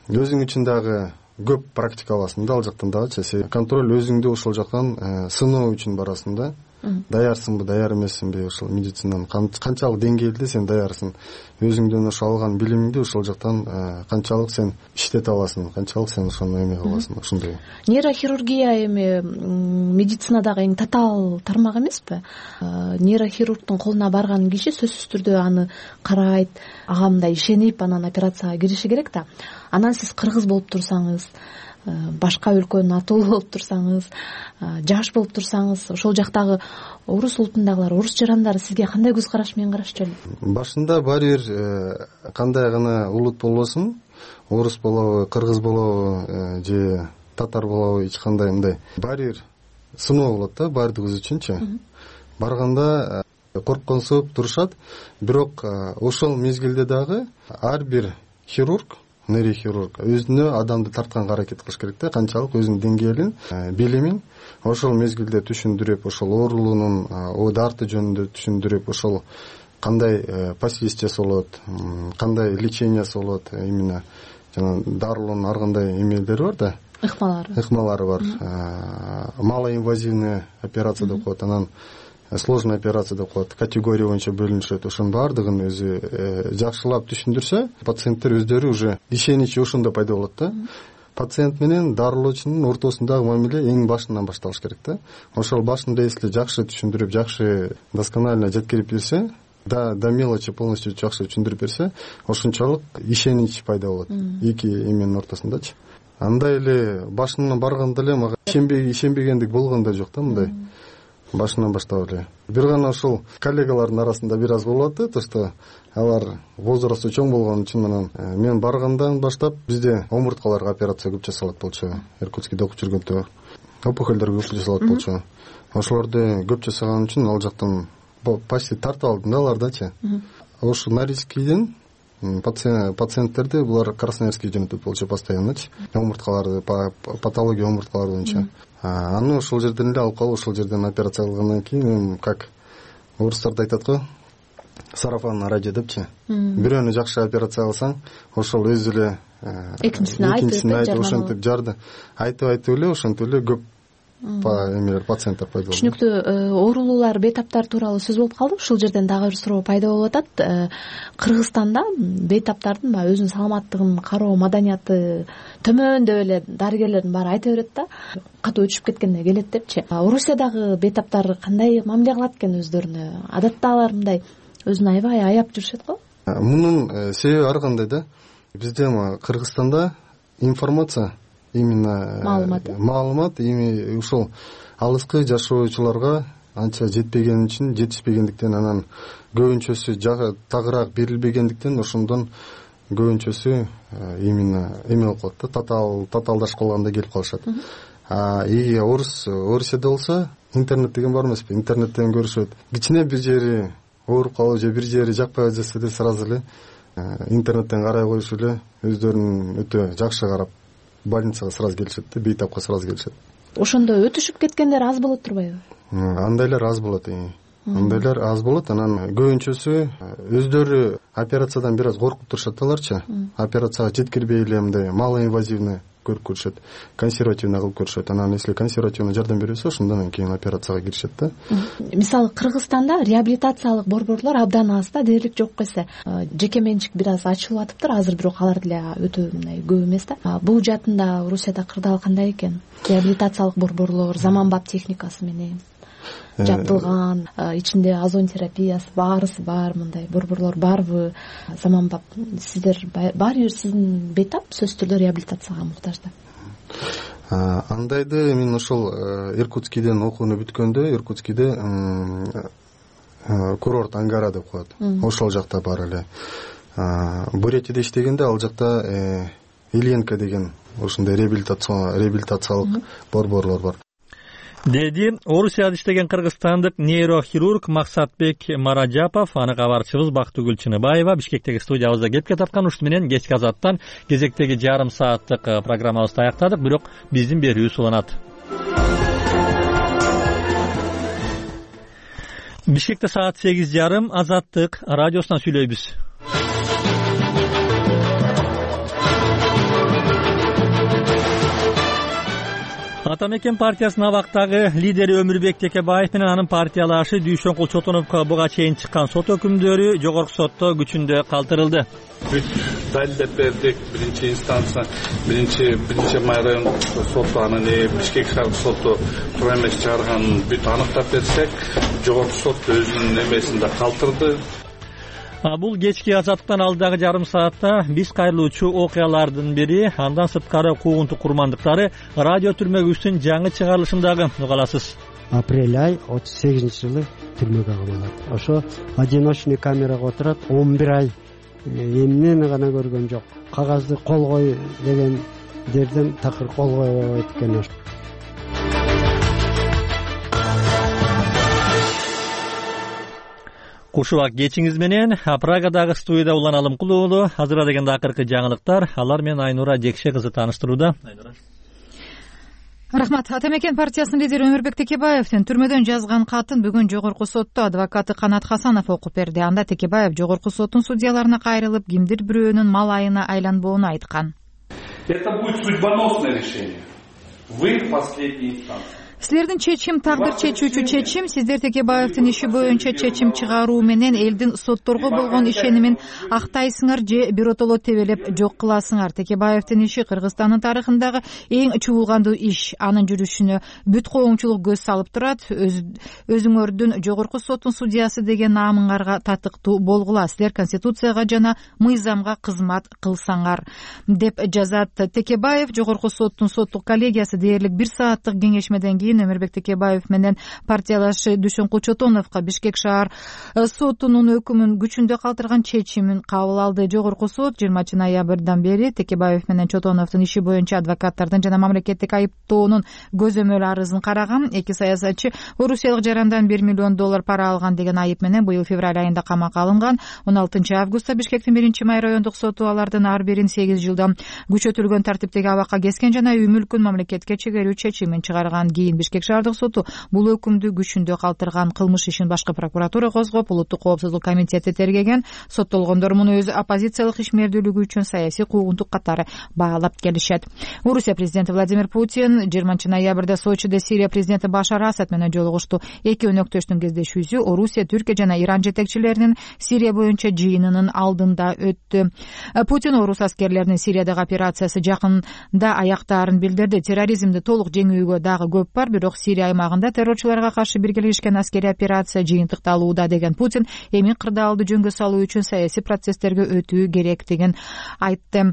өзүң үчүн дагы көп практика аласың да, ал жактан дагычы. Контроль өзүңдү ошол жактан сыноо үчүн барасың да. Даярсыңбы, даяр эмессиңби, ошол медицинанын канчалык деңгээлде сен даярсың, өзүңдөн ошо алган билимиңди ошол жактан канчалык сен иштете аласың, канчалык сен ошону эме кыласың, ошондой. Нейрохирургия эми медицинадагы эң татаал тармак эмеспи? Нейрохирургдун колуна барган киши сөзсүз түрдө аны карайт, ага мындай ишенип анан операцияга кириши керек да. Анан сиз кыргыз болуп турсаңыз, башка өлкөнүн атуулу болуп турсаңыз, жаш болуп турсаңыз, ошол жактагы орус улутундагылар, орус жарандары сизге кандай көз караш менен карашчу? Башында баары бир кандай гана улут болбосун, орус болобу, кыргыз болобу же татар болобу, эч кандай мындай баары бир сыноо болот да, баардыгыбыз үчүнчү. Барганда коркконсуп турушат, бирок ошол мезгилде дагы ар бир хирург, нейрохирург өзүнө адамды тартканга аракет кылыш керек да, канчалык өзүнүн деңгээлин, билимин ошол мезгилде түшүндүрүп, ошол оорулуунун дарты жөнүндө түшүндүрүп, ошол кандай последствия болот, кандай лечениясы болот, именно жана дарылоонун ар кандай эмелери бар да, ыкмалары ыкмалары бар. Малоинвазивный операция деп коет, анан сложный операция деп коет, категория боюнча бөлүнүшөт. Ошонун баардыгын өзү жакшылап түшүндүрсө, пациенттер өздөрү уже ишеничи ошондо пайда болот да. Пациент менен дарылоочунун ортосундагы мамиле эң башынан башталыш керек да. Ошол башында эсле жакшы түшүндүрүп, жакшы досконально жеткирип берсе, да до мелочи полностью жакшы түшүндүрүп берсе, ошончолук ишенич пайда болот эки эменин ортосундачы. Андай эле башынан барганда эле мага ишенбегендик болгон да жок да, мындай. Башынан баштап эле. Бир гана ошол коллегалардын арасында бир аз болуп атты, то что алар возрасту чоң болгон үчүн анан мен баргандан баштап бизде омурткаларга операция көп жасалат болчу. Иркутскийде окуп жүргөндө опухолдорго көп жасалат болчу. Ошолорду көп жасаган үчүн ал жактан почти тартып алдым да алардачы. Ошо Норильскийден пациенттерди булар Красноярский жөнөтөт болчу постоянночу. Омурткаларды, патология омурткалар боюнча. Аны ошол жерден эле алып калып, ошол жерден операция кылгандан кийин, как орустарда айтат го, сарафан радио депчи. Бирөөнү жакшы операция кылсаң, ошол өзү эле экинчисин айтып, ошентип жарды. Айтып айтып эле, ошентип эле көп эмелер, пациенттер пайда болду. Түшүнүктүү. Оорулуулар, бейтаптар тууралуу сөз болуп калды. Ушул жерден дагы бир суроо пайда болуп атат. Кыргызстанда бейтаптардын баягы өзүнүн саламаттыгын кароо маданияты төмөн деп эле дарыгерлердин баары айта берет да. Катуу өчүп кеткенде келет депчи. Орусиядагы бейтаптар кандай мамиле кылат экен өздөрүнө? Адатта алар мындай өзүн аябай аяп жүрүшөт го? Мунун себеби ар кандай да. Бизде Кыргызстанда информация, именно маалымат маалымат эми ушул алыскы жашоочуларга анча жетпеген үчүн, жетишпегендиктен, анан көбүнчөсү тагыраак берилбегендиктен ошондон көбүнчөсү именно эме болуп калат да, татаал татаалдашып калганда келип калышат. А и орус Орусияда болсо интернет деген бар эмеспи? Интернеттен көрүшөт. Кичине бир жери ооруп калып же бир жери жакпай жатса эле сразу эле интернеттен карай коюш эле өздөрүнүн өтө жакшы карап больницага сразу келишет да, бейтапка сразу келишет. Ошондо өтүшүп кеткендер аз болот турбайбы? Андайлар аз болот. Андайлар аз болот. Анан көбүнчөсү өздөрү операциядан бир аз коркуп турушат аларчы. Операцияга жеткирбей эле мындай малоинвазивный көрүп көрүшөт, консервативный кылып көрүшөт. Анан если консервативный жардам бербесе, ошондон анан кийин операцияга киришет да. Мисалы Кыргызстанда реабилитациялык борборлор абдан аз да, дээрлик жок эсе. Жеке менчик бир аз ачылып атыптыр азыр, бирок алар деле өтө мындай көп эмес да. Бул жаатында Орусияда кырдаал кандай экен? Реабилитациялык борборлор заманбап техникасы менен жабдылган, ичинде озон терапиясы баарысы бар, мындай борборлор барбы? Заманбап сиздер баары бир сиздин бейтап сөзсүз түрдө реабилитацияга муктаж да. Андайды мен ошол Иркутскийден окууну бүткөндө, Иркутскийде курорт Ангара деп коет. Ошол жакта бар эле. Бурятияда иштегенде ал жакта Ильенко деген ошондой реабилитациялык борборлор бар. Деди Орусияда иштеген кыргызстандык нейрохирург Максатбек Маражапов. Аны кабарчыбыз Бактыгүл Чыныбаева Бишкектеги студиябызда кепке тапкан. Ушун менен кечки азаттан кезектеги жарым сааттык программабызды аяктадык, бирок биздин берүүбүз уланат. Бишкекте саат сегиз жарым Азаттык радиосунан сүйлөйбүз. Ата мекен партиясынын абактагы лидери Өмүрбек Текебаев менен анын партиялашы Дүйшөнкул Чотоновго буга чейин чыккан сот өкүмдөрү жогорку сотто күчүндө калтырылды. Бүт далилдеп бердик. Биринчи инстанция, биринчи биринчи май райондук соту, анан Бишкек шаардык соту туура эмес чыгарганын бүт аныктап берсек, жогорку сот өзүнүн эмесинде калтырды. Бул кечки азаттыктан алдагы жарым саатта биз кайрылуучу окуялардын бири, андан сырткары куугунтук курмандыктары радио түрмөгүбүздүн жаңы чыгарылышындагы угаласыз. Апрель ай отуз сегизинчи жылы түрмөгө камалат. Ошо одиночный камерага отурат, он бир ай эмнени гана көргөн жок. Кагазды кол кой дегендерден такыр кол койбойт экен. Кушубак кечиңиз менен Прагадагы студияда Улан Алымкул уулу. Азыр дегенде акыркы жаңылыктар. Алар менен Айнура Жекше кызы тааныштырууда. Рахмат. Ата мекен партиясынын лидери Өмүрбек Текебаевдин түрмөдөн жазган катын бүгүн жогорку сотто адвокаты Канат Хасанов окуп берди. Анда Текебаев жогорку соттун судьяларына кайрылып, кимдир бирөөнүн мал айына айланбоону айткан. Это будет судьбоносное решение. Вы последняя инстанция. Силердин чечим тагдыр чечүүчү чечим, сиздер Текебаевдин иши боюнча чечим чыгаруу менен элдин сотторго болгон ишенимин актайсыңар же биротоло тебелеп жок кыласыңар. Текебаевдин иши Кыргызстандын тарыхындагы эң чуулгандуу иш. Анын жүрүшүнө бүт коомчулук көз салып турат. Өзүңөрдүн жогорку соттун судьясы деген наамыңарга татыктуу болгула. Силер конституцияга жана мыйзамга кызмат кылсаңар, деп жазат Текебаев. Жогорку соттун соттук коллегиясы дээрлик бир сааттык кеңешмеден кийин Өмүрбек Текебаев менен партиялашы Дүйшөнкул Чотоновго Бишкек шаар сотунун өкүмүн күчүндө калтырган чечимин кабыл алды. Жогорку сот жыйырманчы ноябрдан бери Текебаев менен Чотоновдун иши боюнча адвокаттардын жана мамлекеттик айыптоонун көзөмөл арызын караган. Эки саясатчы Орусиялык жарандан бир миллион доллар пара алган деген айып менен быйыл февраль айында камакка алынган. он алтынчы августта Бишкектин биринчи май райондук соту алардын ар бирин сегиз жылдан күчөтүлгөн тартиптеги абакка кескен жана үй мүлкүн мамлекетке чегерүү чечимин чыгарган. Кийин Бишкек шаардык соту бул өкүмдү күчүндө калтырган. Кылмыш ишин башкы прокуратура козгоп, улуттук коопсуздук комитети тергеген. Соттолгондор муну өз оппозициялык ишмердүүлүгү үчүн саясий куугунтук катары баалап келишет. Орусия президенти Владимир Путин жыйырманчы ноябрда Сочиде Сирия президенти Башар Асад менен жолугушту. Эки өнөктөштүн кездешүүсү Орусия, Түркия жана Иран жетекчилеринин Сирия боюнча жыйынынын алдында өттү. Путин орус аскерлеринин Сириядагы операциясы жакында аяктаарын билдирди. Терроризмди толук жеңүүгө дагы көп бар, бирок Сирия аймагында террорчуларга каршы биргелешкен аскерий операция жыйынтыкталууда деген Путин эми кырдаалды жөнгө салуу үчүн саясий процесстерге өтүү керектигин айтты.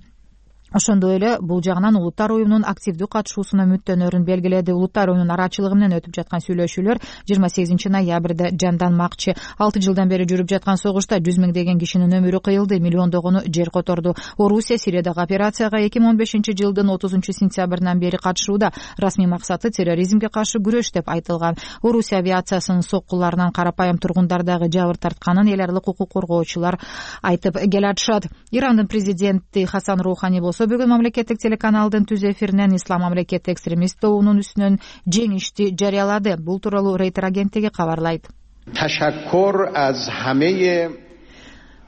Ошондой эле бул жагынан улуттар оюнунун активдүү катышуусуна мүттөнөрүн белгиледи. Улуттар оюнунун арачылыгы менен өтүп жаткан сүйлөшүүлөр жыйырма сегизинчи ноябрда жанданмакчы. алты жылдан бери жүрүп жаткан согушта жүз миңдеген кишинин өмүрү кыйылды, миллиондогону жер которду. Орусия Сириядагы операцияга эки миң он бешинчи жылдын отузунчу сентябрынан бери катышууда. Расмий максаты терроризмге каршы күрөш деп айтылган. Орусия авиациясынын соккуларынан карапайым тургундар дагы жабыр тартканын эл аралык укук коргоочулар айтып келатышат. Ирандын президенти Хасан Роухани бүгүн мамлекеттик телеканалдын түз эфиринен ислам мамлекети экстремист тобунун үстүнөн жеңишти жарыялады. Бул тууралуу Рейтер агенттиги кабарлайт.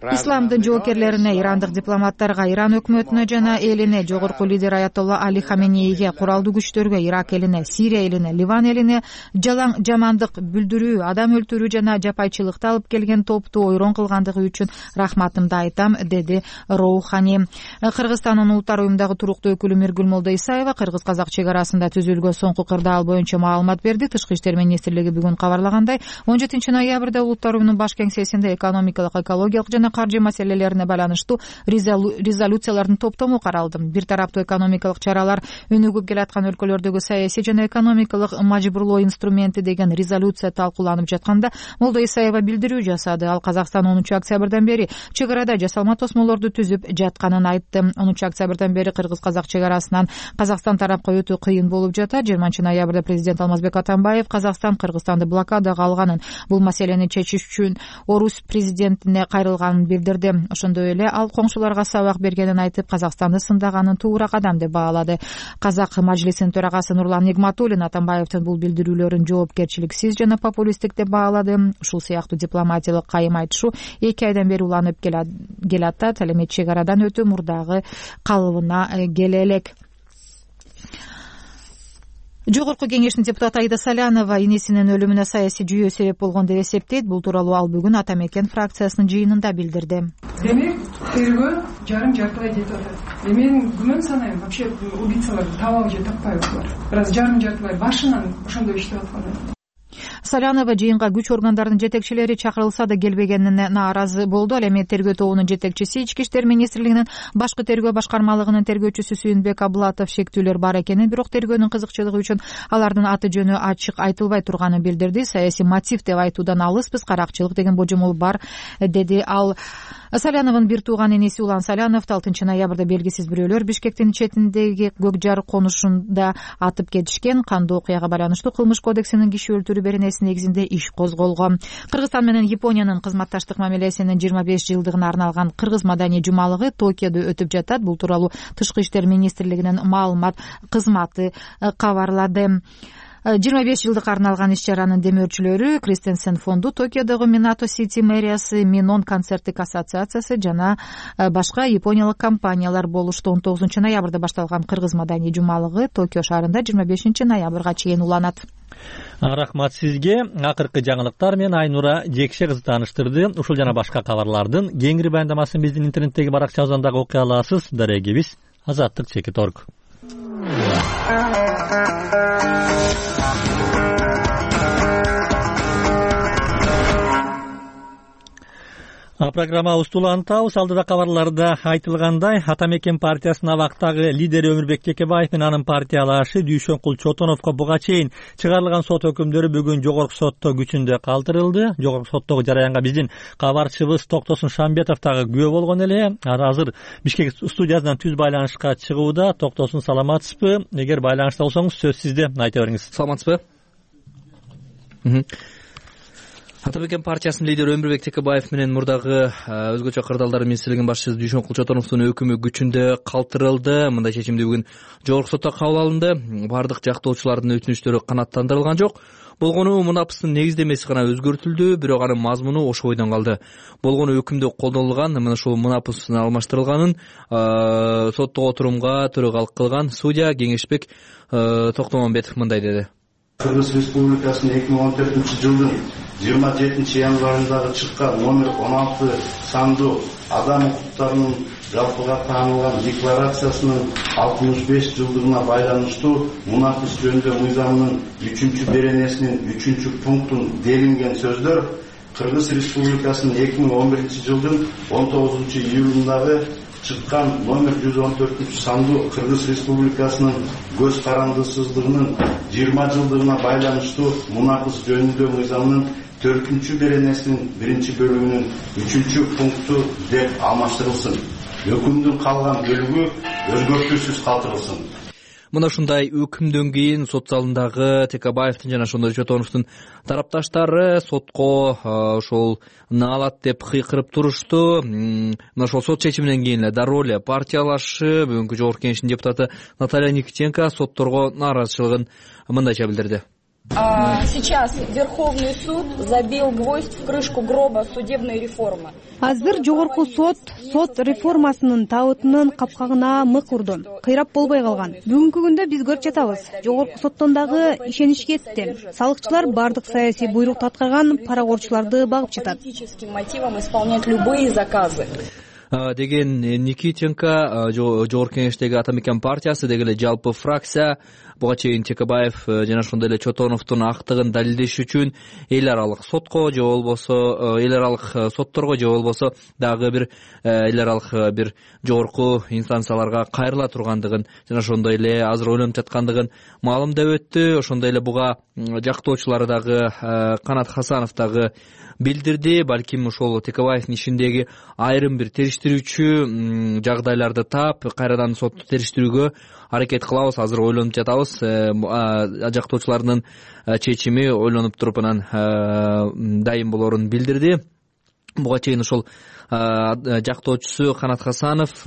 исламдын жоокерлерине, ирандык дипломаттарга, Иран өкмөтүнө жана элине, жогорку лидер Аятолла Али Хаменейге, куралдуу күчтөргө, Ирак элине, Сирия элине, Ливан элине жалаң жамандык билдирүү, адам өлтүрүү жана жапайчылыкты алып келген топту ойрон кылгандыгы үчүн рахматымды айтам, деди Роухани. Кыргызстандын улуттар уюмундагы туруктуу өкүлү Миргүл Молдо Исаева кыргыз-казак чек арасында түзүлгөн соңку кырдаал боюнча маалымат берди. Тышкы иштер министрлиги бүгүн кабарлагандай, он жетинчи ноябрда улуттар уюмунун баш кеңсесинде экономикалык, экологиялык жана каржы маселелерине байланыштуу резолюциялардын топтому каралды. Бир тараптуу экономикалык чаралар өнүгүп келаткан өлкөлөрдөгү саясий жана экономикалык мажбурлоо инструменти деген резолюция талкууланып жатканда Молдо Исаева билдирүү жасады. Ал Казакстан онунчу октябрдан бери чек арада жасалма тосмолорду түзүп жатканын айтты. онунчу октябрдан бери кыргыз-казак чек арасынан Казакстан тарапка өтүү кыйын болуп жатат. жыйырманчы ноябрда президент Алмазбек Атамбаев Казакстан Кыргызстанды блокадага алганын, бул маселени чечиш үчүн Орус президентине кайрылганын билдирди. Ошондой эле ал коңшуларга сабак бергенин айтып, Казакстанды сындаганын туура кадам деп баалады. Казак мажлисинин төрагасы Нурлан Нигматуллин Атамбаевдин бул билдирүүлөрүн жоопкерчиликсиз жана популисттик деп баалады. Ушул сыяктуу дипломатиялык кайым айтышуу эки айдан бери уланып келатат. Ал эми чек арадан өтүү мурдагы калыбына келе элек. Жогорку кеңештин депутаты Аида Салянова энесинин өлүмүнө саясий жүйөө себеп болгон деп эсептейт. Бул тууралуу ал бүгүн Ата Мекен фракциясынын жыйынында билдирди. Демек, тергөө жарым жартылай кетип атат. Мен күмөн санайм, вообще убийцаларды табабы же таппайбы булар. Бираз жарым жартылай башынан ошондой иштеп аткан. Салянова жыйынга күч органдарынын жетекчилери чакырылса да келбегенине нааразы болду. Ал эми тергөө тобунун жетекчиси, Ички иштер министрлигинин башкы тергөө башкармалыгынын тергөөчүсү Сүйүнбек Абылатов шектүүлөр бар экенин, бирок тергөөнүн кызыкчылыгы үчүн алардын аты жөнү ачык айтылбай турганын билдирди. Саясий мотив деп айтуудан алыспыз, каракчылык деген божомол бар, деди ал. Саляновдун бир тууган энеси Улан Салянов алтынчы ноябрда белгисиз бирөөлөр Бишкектин четиндеги Көкжар конушунда атып кетишкен. Кандуу окуяга байланыштуу Кылмыш кодексинин киши өлтүрүү беренеси негизинде иш козголгон. Кыргызстан менен Япониянын кызматташтык мамилесинин жыйырма беш жылдыгына арналган Кыргыз маданий жумалыгы Токиодо өтүп жатат. Бул тууралуу Тышкы иштер министрлигинин маалымат кызматы кабарлады. жыйырма беш жылдыкка арналган иш-чаранын демөөрчүлөрү Кристенсен фонду, Токиодогу Минато Сити мэриясы, Минон концерттик ассоциациясы жана башка япониялык компаниялар болушту. он тогузунчу ноябрда башталган Кыргыз маданий жумалыгы Токио шаарында жыйырма бешинчи ноябрга чейин уланат. Рахмат сизге. Акыркы жаңылыктар менен Айнура Жекше кызы тааныштырды. Ушул жана башка кабарлардын кеңири баяндамасын биздин интернеттеги баракчабыздан дагы окуй аласыз. Дарегибиз азаттык чекит точка орг. Программабызды улантабыз. Алдыда кабарларда айтылгандай, Ата Мекен партиясынын абактагы лидери Өмүрбек Текебаев менен анын партиялашы Дүйшөнкул Чотоновго буга чейин чыгарылган сот өкүмдөрү бүгүн жогорку сотто күчүндө калтырылды. Жогорку соттогу жараянга биздин кабарчыбыз Токтосун Шамбетов дагы күбө болгон эле. Азыр Бишкек студиясынан түз байланышка чыгууда. Токтосун, саламатсызбы? Эгер байланышта болсоңуз сөз сизде, айта бериңиз. Саламатсызбы? Ата Мекен партиясынын лидери Өмүрбек Текебаев менен мурдагы өзгөчө кырдаалдар министрлигинин башчысы Дүйшөнкул Чотоновдун өкүмү күчүндө калтырылды. Мындай чечимди бүгүн жогорку сотто кабыл алынды. Бардык жактоочулардын өтүнүчтөрү канааттандырылган жок. Болгону мунапыстын негиздемеси гана өзгөртүлдү, бирок анын мазмуну ошо бойдон калды. Болгону өкүмдө колдонулган, мына ушул мунапыстын алмаштырылганын соттук отурумга төрагалык кылган судья Кеңешбек Токтомамбетов мындай деди. Кыргыз Республикасынын эки миң он төртүнчү жылдын жыйырма жетинчи январындагы чыккан номер он алты сандуу адам укуктарынын жалпыга таанылган декларациясынын алтымыш беш жылдыгына байланыштуу мунапыс жөнүндө мыйзамынын үчүнчү беренесинин үчүнчү пунктун делинген сөздөр Кыргыз Республикасынын эки миң он биринчи жылдын он тогузунчу июлундагы чыккан номер жүз он төртүнчү сандуу Кыргыз Республикасынын көз карандысыздыгынын жыйырма жылдыгына байланыштуу мунапыс жөнүндө мыйзамынын төртүнчү беренесинин биринчи бөлүгүнүн үчүнчү пункту деп алмаштырылсын. Өкүмдүн калган бөлүгү өзгөртүүсүз калтырылсын. Мына ушундай өкүмдөн кийин сот залындагы Текебаевдин жана ошондой Чотоновдун тарапташтары сотко ошол наалат деп кыйкырып турушту. Мына ошол сот чечиминен кийин эле дароо эле партиялашы бүгүнкү жогорку кеңештин депутаты Наталья Никитенко сотторго нааразычылыгын мындайча билдирди. Сейчас Верховный суд забил гвоздь в крышку гроба судебной реформы. Азыр жогорку сот сот реформасынын табытынын капкагына мык урду. Кыйрап болбой калган. Бүгүнкү күндө биз көрүп жатабыз. Жогорку соттон дагы ишенич кетти. Салыкчылар бардык саясий буйрукту аткарган паракорчуларды багып жатат. Мотивом исполнять любые заказы. Деген Никитенко жогорку кеңештеги Ата мекен партиясы деги эле жалпы фракция буга чейин Текебаев жана ошондой эле Чотоновдун актыгын далилдеш үчүн эл аралык сотко же болбосо эл аралык сотторго же болбосо дагы бир эл аралык бир жогорку инстанцияларга кайрыла тургандыгын жана ошондой эле азыр ойлонуп жаткандыгын маалымдап өттү. Ошондой эле буга жактоочулары дагы Канат Хасанов дагы билдирди. Балким ошол Текебаевдин ишиндеги айрым бир териштирүүчү жагдайларды таап кайрадан сотту териштирүүгө аракет кылабыз, азыр ойлонуп жатабыз. Жактоочулардын чечими ойлонуп туруп анан дайым болорун билдирди. Буга чейин ошол жактоочусу Канат Хасанов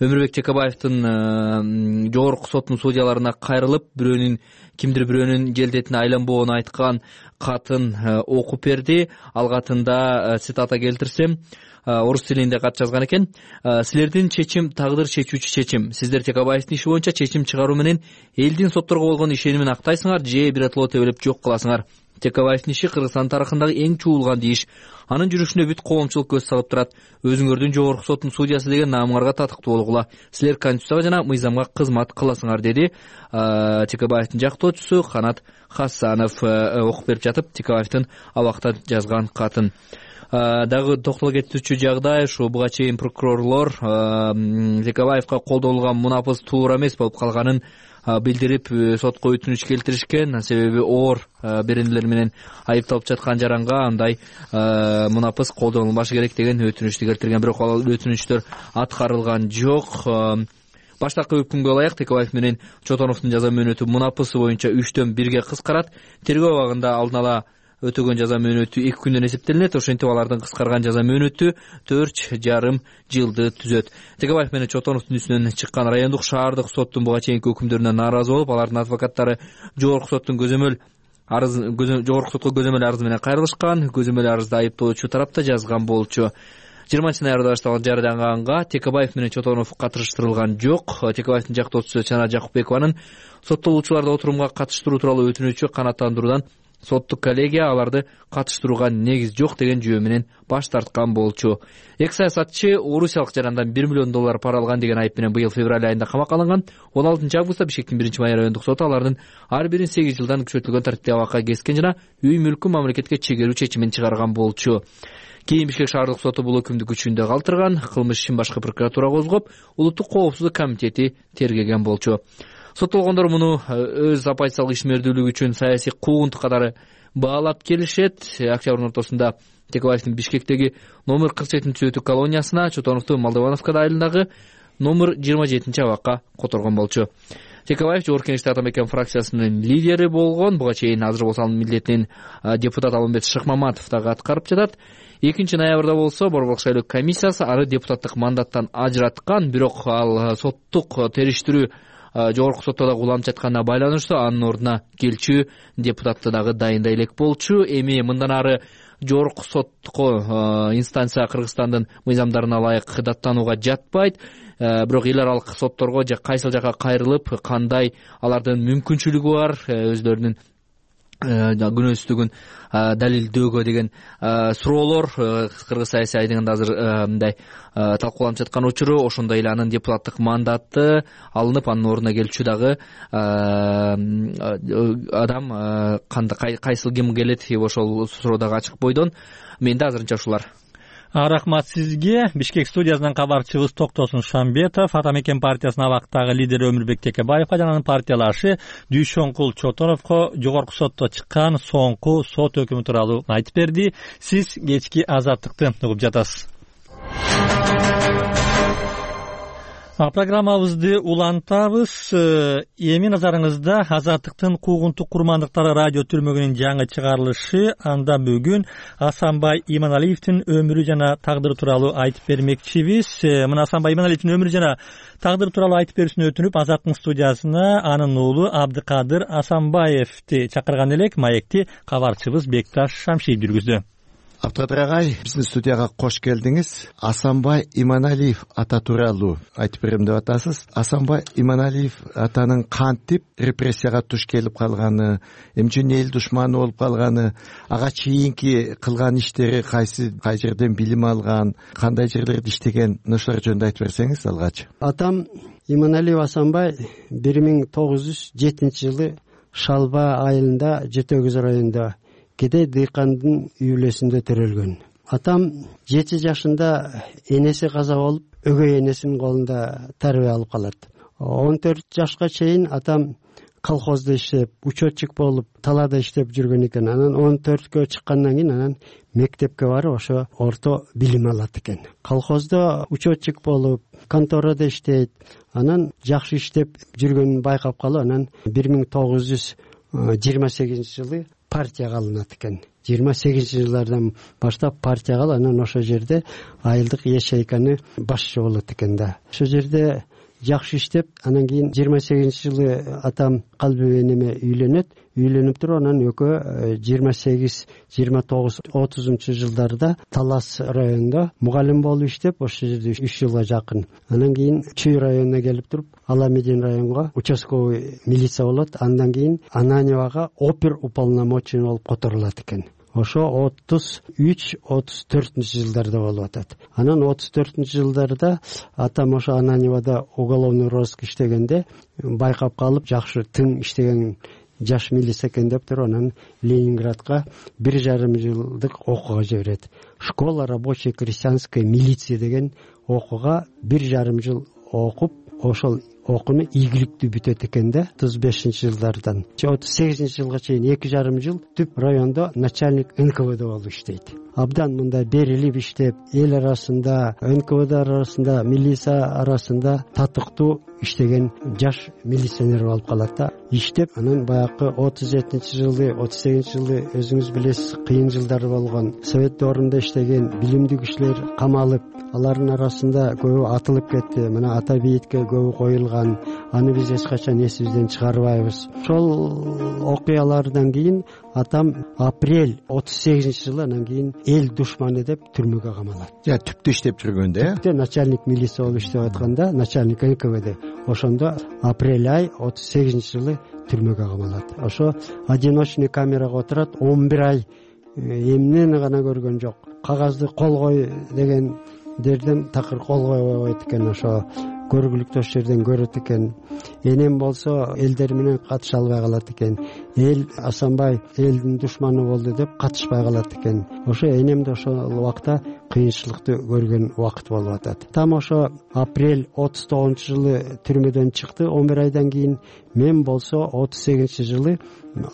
Өмүрбек Текебаевдин жогорку соттун судьяларына кайрылып, бирөөнүн кимдир бирөөнүн желдетине айланбоонун айткан катын окуп берди. Ал катында цитата келтирсем, орус тилинде кат жазган экен. Силердин чечим тагдыр чечүүчү чечим. Сиздер Текебаевдин иши боюнча чечим чыгаруу менен элдин сотторго болгон ишенимин актайсыңар же биротоло тебелеп жок кыласыңар. Текебаевдин иши Кыргызстан тарыхындагы эң чуулган дейиш. Анын жүрүшүнө бүт коомчулук көз салып турат. Өзүңөрдүн жогорку соттун судьясы деген наамыңарга татыктуу болгула. Силер конституцияга жана мыйзамга кызмат кыласыңар, деди Текебаевдин жактоочусу Канат Хасанов окуп берип жатып Текебаевдин абакта жазган катын. Дагы токтоло кетүүчү жагдай ушу буга чейин прокурорлор Текебаевга колдонулган мунапыс туура эмес болуп калганын билдирип сотко өтүнүч келтиришкен. Себеби оор беренелер менен айыпталып жаткан жаранга андай мунапыс колдонулбашы керек деген өтүнүчтү келтирген. Бирок ал өтүнүчтөр аткарылган жок. Баштапкы өкүмгө ылайык Текебаев менен Чотоновдун жаза мөөнөтү мунапысы боюнча үчтөн бирге кыскарат. Тергөө абагында алдын ала өтөгөн жаза мөөнөтү эки күндөн эсептелинет. Ошентип алардын кыскарган жаза мөөнөтү төрт жарым жылды түзөт. Текебаев менен Чотоновдун үстүнөн чыккан райондук шаардык соттун буга чейинки өкүмдөрүнө нааразы болуп, алардын адвокаттары жогорку соттун көзөмөл арыз жогорку сотко көзөмөл арызы менен кайрылышкан. Көзөмөл арызды айыптоочу тарапта жазган болчу. жыйырманчы ноябрда башталган жарыянганга Текебаев менен Чотонов катыштырылган жок. Текебаевдин жактоочусу Чана Жакупбекованын соттолуучуларды отурумга катыштыруу тууралуу өтүнүчү канааттандыруудан соттук коллегия аларды катыштырууга негиз жок деген жүйө менен баш тарткан болчу. Эки саясатчы орусиялык жарандан бир миллион доллар пара алган деген айып менен быйыл февраль айында камакка алынган. он алтынчы августта Бишкектин биринчи май райондук соту алардын ар бирин сегиз жылдан күчөтүлгөн тартипте абакка кескен жана үй мүлкүн мамлекетке чегерүү чечимин чыгарган болчу. Кийин Бишкек шаардык соту бул өкүмдү күчүндө калтырган. Кылмыш ишин башкы прокуратура козгоп, улуттук коопсуздук комитети тергеген болчу. Соттолгондор муну өз оппозициялык ишмердүүлүгү үчүн саясий куугунтук катары баалап келишет. Октябрдын ортосунда Текебаевдин Бишкектеги номер кырк жетинчи өтүү колониясына, Чотоновду Молдовановка айылындагы номер жыйырма жетинчи абакка которгон болчу. Текебаев жогорку кеңеште Ата мекен фракциясынын лидери болгон. Буга чейин азыр болсо анын милдетин депутат Алымбет Шыкмаматов дагы аткарып жатат. экинчи ноябрда болсо Борбордук шайлоо комиссиясы ары депутаттык мандаттан ажыраткан, бирок ал соттук териштирүү жогорку сотто дагы уланып жатканына байланыштуу анын ордуна келчү депутатты дагы дайындай элек болчу. Эми мындан ары жогорку сотко инстанция Кыргызстандын мыйзамдарына ылайык даттанууга жатпайт. Бирок эл аралык сотторго же кайсыл жака кайрылып, кандай алардын мүмкүнчүлүгү бар өзлөрүнүн күнөөсүздүгүн далилдөөгө деген суроолор Кыргыз саясий айдыгында азыр мындай талкууланып жаткан учуру. Ошондой эле анын депутаттык мандаты алынып, анын ордуна келчү дагы адам кандай кайсыл ким келет, ошол суроо дагы ачык бойдон. Менде азырынча ушулар. Рахмат сизге. Бишкек студиясынан кабарчыбыз Токтосун Шамбетов Ата мекен партиясынын абактагы лидери Өмүрбек Текебаевга жана анын партиялашы Дүйшөнкул Чотоновго жогорку сотто чыккан соңку сот өкүмү тууралуу айтып берди. Сиз кечки Азаттыкты угуп жатасыз. Программабызды улантабыз. Эми назарыңызда Азаттыктын куугунтук курмандыктары радио түрмөгүнүн жаңы чыгарылышы. Анда бүгүн Асанбай Иманалиевдин өмүрү жана тагдыры тууралуу айтып бермекчибиз. Мына Асанбай Иманалиевдин өмүрү жана тагдыры тууралуу айтып берүүсүн өтүнүп, Азаттыктын студиясына анын уулу Абдыкадыр Асанбаевди чакырган элек. Маекти кабарчыбыз Бекташ Шамшиев жүргүздү. Абдыкадыр агай, биздин студияга кош келдиңиз. Асанбай Иманалиев ата тууралуу айтып берем деп атасыз. Асанбай Иманалиев атанын кантип репрессияга туш келип калганы, эмче эл душманы болуп калганы, ага чейинки кылган иштери кайсы кай жерден билим алган, кандай жерлерде иштеген, ошолор жөнүндө айтып берсеңиз алгач. Атам Иманалиев Асанбай бир миң тогуз жүз жетинчи жылы Шалба айылында Жети Өгүз районунда Кедей дыйкандын үй бүлөсүндө төрөлгөн. Атам жети жашында энеси каза болуп, өгөй энесинин колунда тарбия алып калат. он төрт жашка чейин атам колхоздо иштеп, учетчик болуп, талаада иштеп жүргөн экен. Анан он төрткө чыккандан кийин анан мектепке барып, ошо орто билим алат экен. Колхоздо учетчик болуп, конторада иштейт. Анан жакшы иштеп жүргөнүн байкап калып, анан бир миң тогуз жүз жыйырма сегизинчи жылы партияга алынат экен. жыйырма сегизинчи жылдардан баштап партияга алып, анан ошол жерде айылдык ячейканы башчы болот экен да. Ошол жерде жакшы иштеп, анан кийин жыйырма сегизинчи жылы атам калби энеме үйлөнөт. Үйлөнүп туруп, анан экөө жыйырма сегиз, жыйырма тогуз, отузунчу жылдарда Талас районунда мугалим болуп иштеп, ошол жерде үч жылга жакын. Анан кийин Чүй районуна келип туруп, Аламедин районго участковый милиция болот. Андан кийин Ананьевага опер уполномоченный болуп которулат экен. Ошо отуз үч, отуз төртүнчү жылдарда болуп атат. Анан отуз төртүнчү жылдарда атам ошо Ананьевада уголовный розыск иштегенде байкап калып, жакшы тың иштеген жаш милиция экен деп туруп, анан Ленинградка бир жарым жылдык окууга жиберет. Школа рабочей крестьянской милиции деген окууга бир жарым жыл окуп, ошол окууну ийгиликтүү бүтөт экен да. отуз бешинчи жылдардан отуз сегизинчи жылга чейин эки жарым жыл түп райондо начальник эн ка вэ дэ болуп иштейт. Абдан мында берилип иштеп, эл арасында, эн ка вэ дэ арасында, милиция арасында татыктуу иштеген жаш милиционер болуп калат да. Иштеп, анан баягы отуз жетинчи жылы, отуз сегизинчи жылы өзүңүз билесиз, кыйын жылдар болгон. Совет доорунда иштеген билимдүү кишилер камалып, алардын арасында көбү атылып кетти. Мына ата бейитке көбү коюлган. Аны биз эч качан эсибизден чыгарбайбыз. Ошол окуялардан кийин атам апрель отуз сегизинчи жылы анан кийин эл душманы деп түрмөгө камалат. Я түптө иштеп жүргөндө, э? Начальник милиция болуп иштеп атканда, начальник эн ка вэ дэ. Ошондо апрель ай отуз сегизинчи жылы түрмөгө камалат. Ошо одиночный камерага отурат, он бир ай эмнени гана көргөн жок. Кагазды кол кой дегендерден такыр кол койбойт экен. Ошо көргүлүктүү ошол жерден көрөт экен. Энем болсо элдер менен катыша албай калат экен. Эл Асанбай элдин душманы болду деп катышпай калат экен. Ошо энем да ошол убакта кыйынчылыкты көргөн убакыт болуп атат. Там ошо апрель отуз тогузунчу жылы түрмөдөн чыкты. он бир айдан кийин мен болсо отуз сегизинчи жылы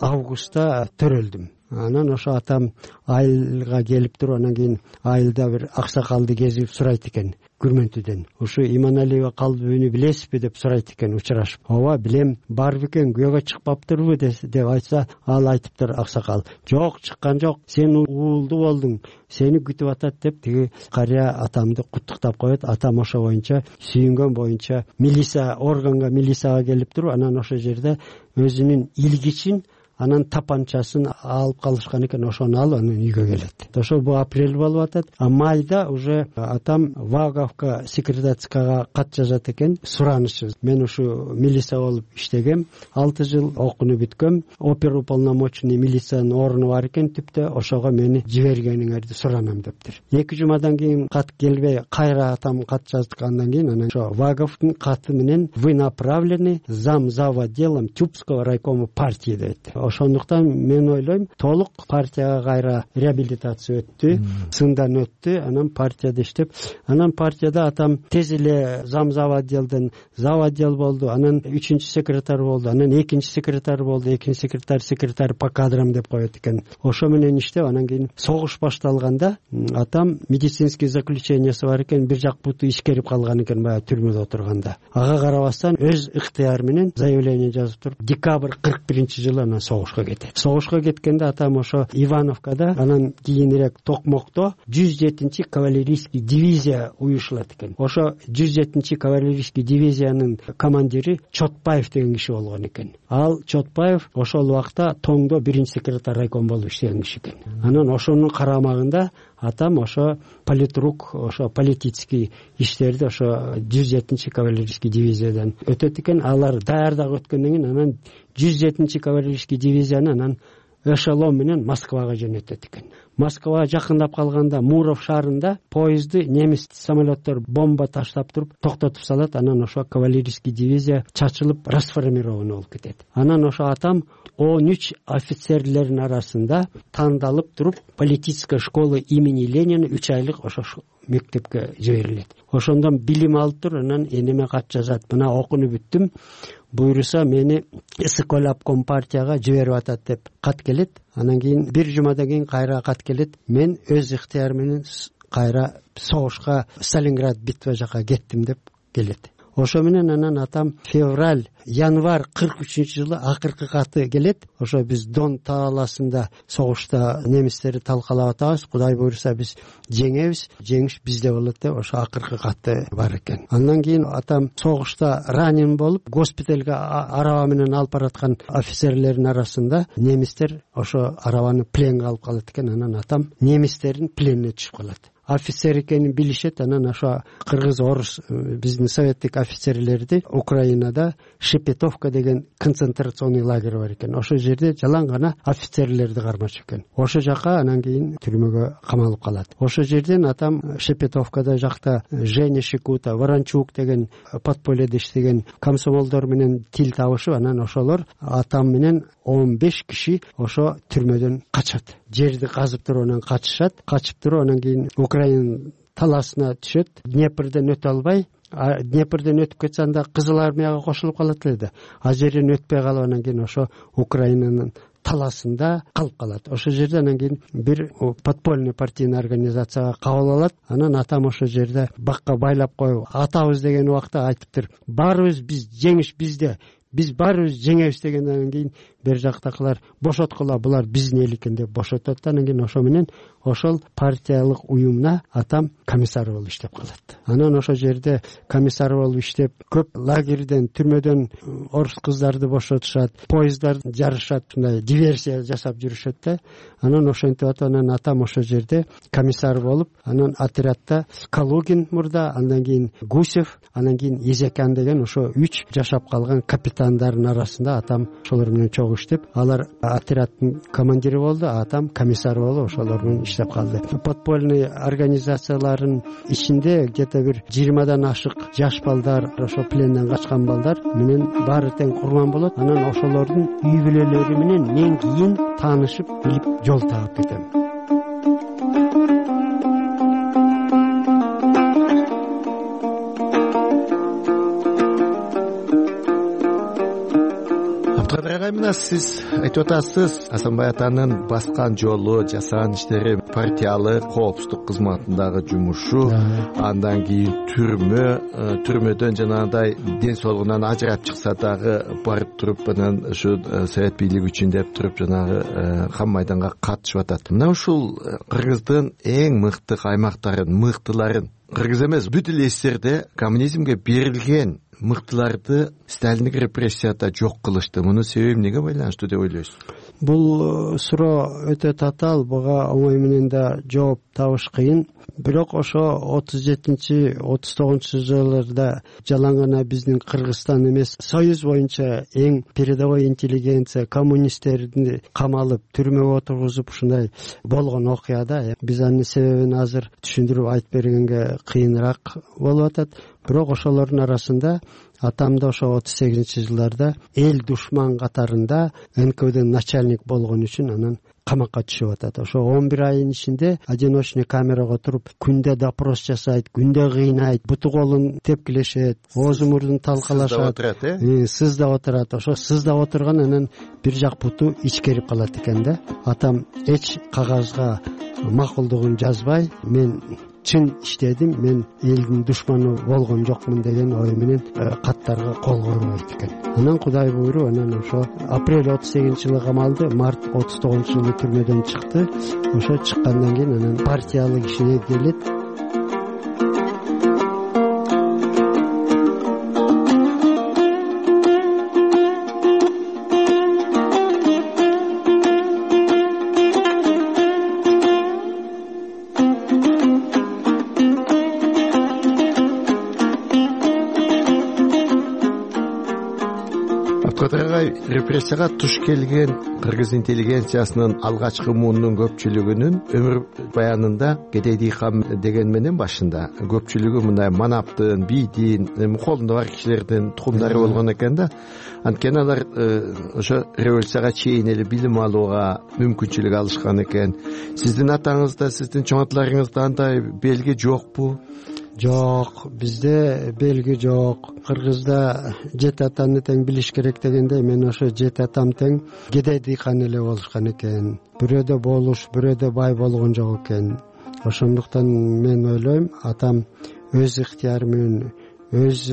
августта төрөлдүм. Анан ошо атам айылга келип туруп, анан кийин айылда бир аксакалды кезип сурайт экен Күрмөнтүдөн. Ушу Иманалиев калбыбүнү билесизби деп сурайт экен учурашып. Ооба билем, бар бекен, күйөөгө чыкпаптырбы деп айтса, ал айтыптыр аксакал. Жок, чыккан жок, сен уулду болдуң, сени күтүп атат деп тиги карыя атамды куттуктап коет. Атам ошо боюнча, сүйүнгөн боюнча милиция органга, милицияга келип туруп, анан ошол жерде өзүнүн илгичин, анан тапанчасын алып калышкан экен. Ошону алып анан үйгө келет. Ошо бу апрель болуп атат. А майда уже атам Ваговка секретарскага кат жазат экен. Суранычы. Мен ушу милиция болуп иштегем, алты жыл окууну бүткөм. Оперуполномоченный милициянын орну бар экен түптө. Ошого мени жибергениңерди суранам дептир. эки жумадан кийин кат келбей, кайра атам кат жаздыкандан кийин анан ошо Ваговдун каты менен вы направлены зам зав. Отделом Тюбского райкома партии дейт. ошондуктан мен ойлойм толук партияга кайра реабилитация өттү, сындан өттү, анан партияда иштеп, анан партияда атам тез эле зам зав отделден зав отдел болду, анан үчүнчү секретарь болду, анан экинчи секретарь болду, экинчи секретарь секретарь по кадрам деп коет экен. Ошо менен иштеп, анан кийин согуш башталганда атам медицинский заключениясы бар экен, бир жак буту ишкерип калган экен баягы түрмөдө отурганда. Ага карабастан өз ыктыяры менен заявление жазып туруп, декабрь кырк биринчи жылы анан согушка кетет. Согушка кеткенде атам ошо Ивановкада, анан кийинирээк Токмокто жүз жетинчи кавалерийский дивизия уюшулат экен. Ошо жүз жетинчи кавалерийский дивизиянын командири Чотпаев деген киши болгон экен. Ал Чотпаев ошол убакта Тоңдо биринчи секретарь райком болуп иштеген киши экен. Анан ошонун карамагында атам ошо политрук, ошо политический иштерди ошо жүз жетинчи кавалерийский дивизиядан өтөт экен. Алар даярдап өткөндөн кийин анан жүз жетинчи кавалерийский дивизияны анан эшелон менен Москвага жөнөтөт экен. Москвага жакындап калганда Муров шаарында поезди немис самолеттер бомба таштап туруп токтотуп салат. Анан ошо кавалерийский дивизия чачылып расформирован болуп кетет. Анан ошо атам он үч офицерлердин арасында тандалып туруп политическая школа имени Ленина үч айлык ошо мектепке жиберилет. Ошондон билим алып туруп, анан энеме кат жазат: мына окуну бүттүм, буйруса мени СКОЛ обком партияга жиберип атат деп кат келет. Анан кийин бир жумадан кийин кайра кат келет: мен өз ыктыярым менен кайра согушка Сталинград битва жака кеттим деп келет. Ошо менен анан атам февраль, январь кырк үчүнчү жылы акыркы каты келет. Ошо биз Дон талаасында согушта немистерди талкалап атабыз, Кудай буйруса биз жеңебиз, жеңиш бизде болот деп ошо акыркы каты бар экен. Андан кийин атам согушта ранен болуп, госпиталга араба менен алып бараткан офицерлердин арасында немистер ошо арабаны пленге алып калат экен. Анан атам немистердин пленине түшүп калат. Офицер экенин билишет. Анан ошо кыргыз, орус, биздин советтик офицерлерди Украинада Шепетовка деген концентрационный лагерь бар экен. Ошо жерде жалаң гана офицерлерди кармашып экен. Ошо жака анан кийин түрмөгө камалып калат. Ошо жерден атам Шепетовкада жакта Женя Шикута, Ворончук деген подпольеде иштеген комсомолдор менен тил табышып, анан ошолор атам менен он беш киши ошо түрмөдөн качат. Жерди казып туруп анан качышат. Качып туруп анан кийин Украина талаасына түшөт. Днепрден өтө албай, Днепрден өтүп кетсе анда Кызыл армияга кошулуп калат эле. А жерден өтпөй калып анан кийин ошо Украинанын талаасында калып калат. Ошо жерде анан кийин бир подпольный партийный организацияга кабыл алат. Анан атам ошо жерде бакка байлап коюп атабыз деген убакта айтыптыр: баарыбыз биз жеңиш бизде, биз баарыбыз жеңебиз дегенден кийин бер жактакылар бошоткула, булар биздин эл экен деп бошотот. Анан кийин ошо менен ошол партиялык уюмуна атам комиссар болуп иштеп калат. Анан ошо жерде комиссар болуп иштеп, көп лагерден, түрмөдөн орус кыздарды бошотушат, поездар жарышат, мындай диверсия жасап жүрүшөт да. Анан ошентип атып, анан атам ошо жерде комиссар болуп, анан отрядда Калугин мурда, андан кийин Гусев, анан кийин Езекян деген ошо үч жашап калган капитандардын арасында атам ошолор менен чогуу иштеп, алар отряддын командири болду, атам комиссар болуп ошолор менен иштеп калды. Подпольный организациялардын ичинде где-то бир жыйырмадан ашык жаш балдар, ошо пленден качкан балдар менен баары тең курман болот. Анан ошолордун үй бүлөлөрү менен мен кийин таанышып, билип жол таап кетем. Мына сиз айтып атасыз, Асанбай атанын баскан жолу, жасаган иштери, партиялык коопсуздук кызматындагы жумушу, андан кийин түрмө, түрмөдөн жанагындай ден соолугунан ажырап чыкса дагы барып туруп, анан ушу совет бийлиги үчүн деп туруп жанагы кам майданга катышып атат. Мына ушул Кыргыздын эң мыкты аймактарын, мыктыларын, Кыргыз эмес бүт эле эстерде коммунизмге берилген мыктыларды сталиндик репрессияда жок кылышты. Мунун себеби эмнеге байланыштуу деп ойлойсуз? Бул суроо өтө татаал, буга оңой менен да жооп табыш кыйын. Бирок ошо отуз жетинчи отуз тогузунчу жылдарда жалаң гана биздин Кыргызстан эмес, Союз боюнча эң передовой интеллигенция коммунисттерди камалып, түрмөгө отургузуп ушундай болгон окуяда биз анын себебин азыр түшүндүрүп айтып бергенге кыйыныраак болуп атат. бирок ошолордун арасында атам да ошо отуз сегизинчи жылдарда эл душман катарында эн ка веден начальник болгон үчүн анан камакка түшүп атат. Ошо он бир айдын ичинде одиночный камерага туруп күндө допрос жасайт, күндө кыйнайт, буту колун тепкилешет, оозу мурдун талкалашат, сыздап отурат. Ошо сыздап отурган анан бир жак буту ичкерип калат экен да. Атам эч кагазга макулдугун жазбай, мен чын иштедим, мен элдин душманы болгон жокмун деген ой менен каттарга кол койбойт экен. Анан Кудай буйруп, анан ошо апрель отуз сегизинчи жылы камалды, март отуз тогузунчу жылы түрмөдөн чыкты. Ошо чыккандан кийин анан партиялык ишине келет. Репрессияга туш келген кыргыз интеллигенциясынын алгачкы муунун көпчүлүгүнүн өмүр баянында Кедейди кам деген менен башында көпчүлүгү мындай манаптын, бийдин, колунда бар кишилердин тукумдары болгон экен да. Анткени алар ошо революцияга чейин эле билим алууга мүмкүнчүлүк алышкан экен. Сиздин атаңызда, сиздин чоң аталарыңызда андай белги жокпу? Жок, бизде белги жок. Кыргызда жети атаны тең билиш керек дегенде, мен ошо жети атам тең кедей дыйкан эле болушкан экен. Бирөөдө болуш, бирөөдө бай болгон жок экен. Ошондуктан мен ойлойм, атам өз ыктыяры менен, өз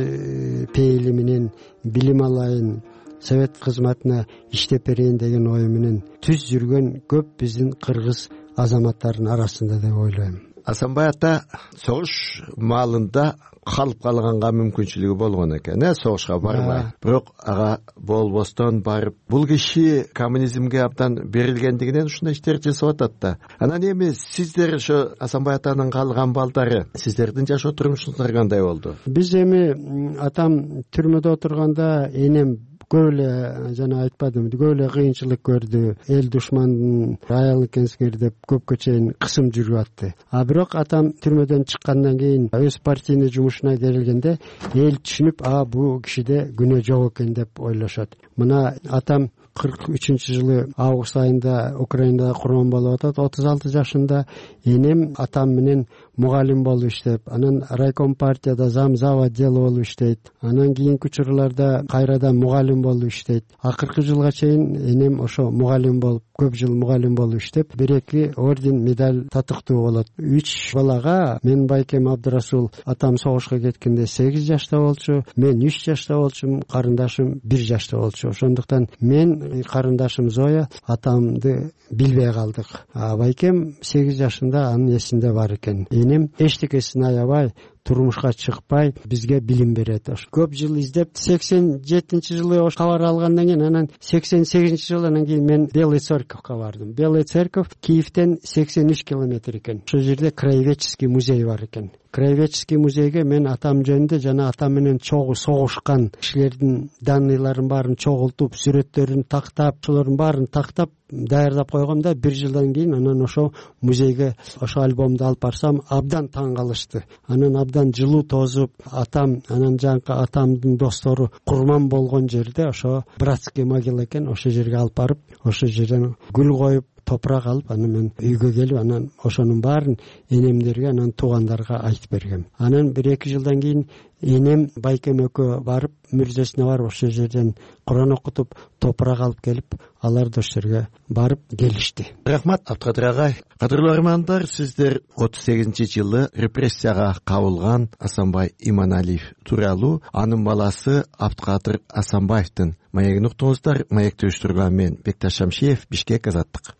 пейили менен билим алайын, совет кызматына иштеп берейин деген ой менен түз жүргөн көп биздин кыргыз азаматтарынын арасында деп ойлойм. Асанбай ата согуш маалында калып калганга мүмкүнчүлүгү болгон экен, э, согушка барбай. Бирок ага болбостон барып, бул киши коммунизмге абдан берилгендигинен ушундай иштерди жасап атат да. Анан эми сиздер ошо Асанбай атанын калган балдары, сиздердин жашоо турмушуңуздар кандай болду? Биз эми атам түрмөдө отурганда энем көп эле, жана айтпадым, көп эле кыйынчылык көрдү. Эл душмандын аял экенсиңер деп көпкө чейин кысым жүрүп атты. А бирок атам түрмөдөн чыккандан кийин өз партийный жумушуна келгенде эл түшүнүп, а бул кишиде күнөө жок экен деп ойлошот. Мына атам кырк үчүнчү жылы август айында Украинада курман болуп атат, отуз алты жашында. Энем атам менен мугалим болуп иштеп, анан райком партияда зам зав отделы болуп иштейт. Анан кийинки учурларда кайрадан мугалим болуп иштейт. Акыркы жылга чейин энем ошо мугалим болуп, көп жыл мугалим болуп иштеп, бир эки орден, медаль татыктуу болот. Үч балага мен Байкем Абдырасул атам согушка кеткенде сегиз жашта болчу, мен үч жашта болчумун, карындашым бир жашта болчу. Ошондуктан мен, карындашым Зоя атамды билбей калдык. А Байкем сегиз жашында анын эсинде бар экен. Энем эчтекесин аябай, турмушка чыкпай бизге билим берет. Көп жыл издеп, сексен жетинчи жылы ош кабар алгандан кийин, анан сексен сегизинчи жылы анан кийин мен Белый Церковко бардым. Белый Церковь Киевден сексен үч километр экен. Ошол жерде краеведческий музей бар экен. Краеведческий музейге мен атам жөнүндө жана атам менен чогуу согушкан кишилердин данныйларын баарын чогултуп, сүрөттөрүн тактап, ошолордун баарын тактап даярдап койгом да, бир жылдан кийин анан ошо музейге ошо альбомду алып барсам, абдан таң калышты. Анан абдан жылуу тозуп, атам, анан жанкы атамдын достору курман болгон жерде ошо братский могила экен, ошол жерге алып барып, ошол жерден гүл коюп, топурак алып, анан мен үйгө келип, анан ошонун баарын энемдерге, анан туугандарга айтып бергем. Анан бир эки жылдан кийин энем Байкем экөө барып, мүрзөсүнө барып, ошол жерден Куран окутуп, топурак алып келип, алар да ошол жерге барып келишти. Рахмат, Абдыкадыр агай. Кадырлуу армандар, сиздер отуз сегизинчи жылы репрессияга кабылган Асанбай Иманалиев тууралуу анын баласы Абдыкадыр Асанбаевдин маегин уктуңуздар. Маекти уюштурган мен Бекташ Шамшиев, Бишкек, Азаттык.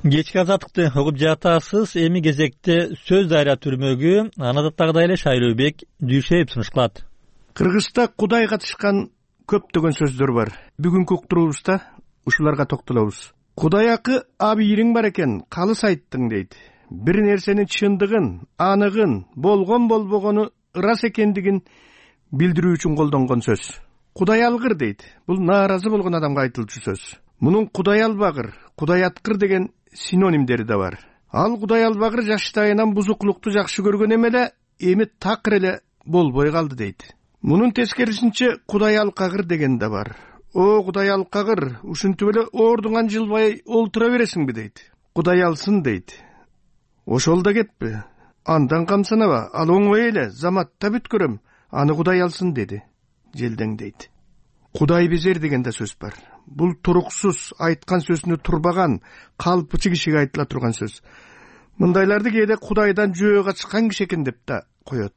Кечки Азаттыкты угуп жатасыз. Эми кезекте сөз дайра түрмөгү аны адаттагыдай эле Шайлообек Дүйшеев сунуш кылат. Кыргызда Кудай катышкан көптөгөн сөздөр бар. Бүгүнкү уктуруубузда ушуларга токтолобуз. Кудай акы абийириң бар экен, калыс айттың дейт. Бир нерсенин чындыгын, аныгын, болгон болбогону ырас экендигин билдирүү үчүн колдонгон сөз. Кудай алгыр дейт. Бул нааразы болгон адамга айтылчу сөз. Мунун Кудай албагыр, Кудай аткыр деген синонимдери да бар. ал Кудай албагыр жаштайынан бузуклукту жакшы көргөн эмеле, эми такыр эле болбой калды дейт. Мунун тескерисинче Кудай алкагыр деген да бар. О Кудай алкагыр, ушинтип эле ордуңан жылбай олтура бересиңби дейт. Кудай алсын дейт. Ошол да кетпи. Андан камсанаба, ал оңой эле, заматта бүткөрөм, аны Кудай алсын деди. Желдең дейт. Кудай безер деген да сөз бар. Бул туруксуз айткан сөзүнө турбаган, калпычы кишиге айтыла турган сөз. Мындайларды кээде Кудайдан жөө качкан киши экен деп да коет.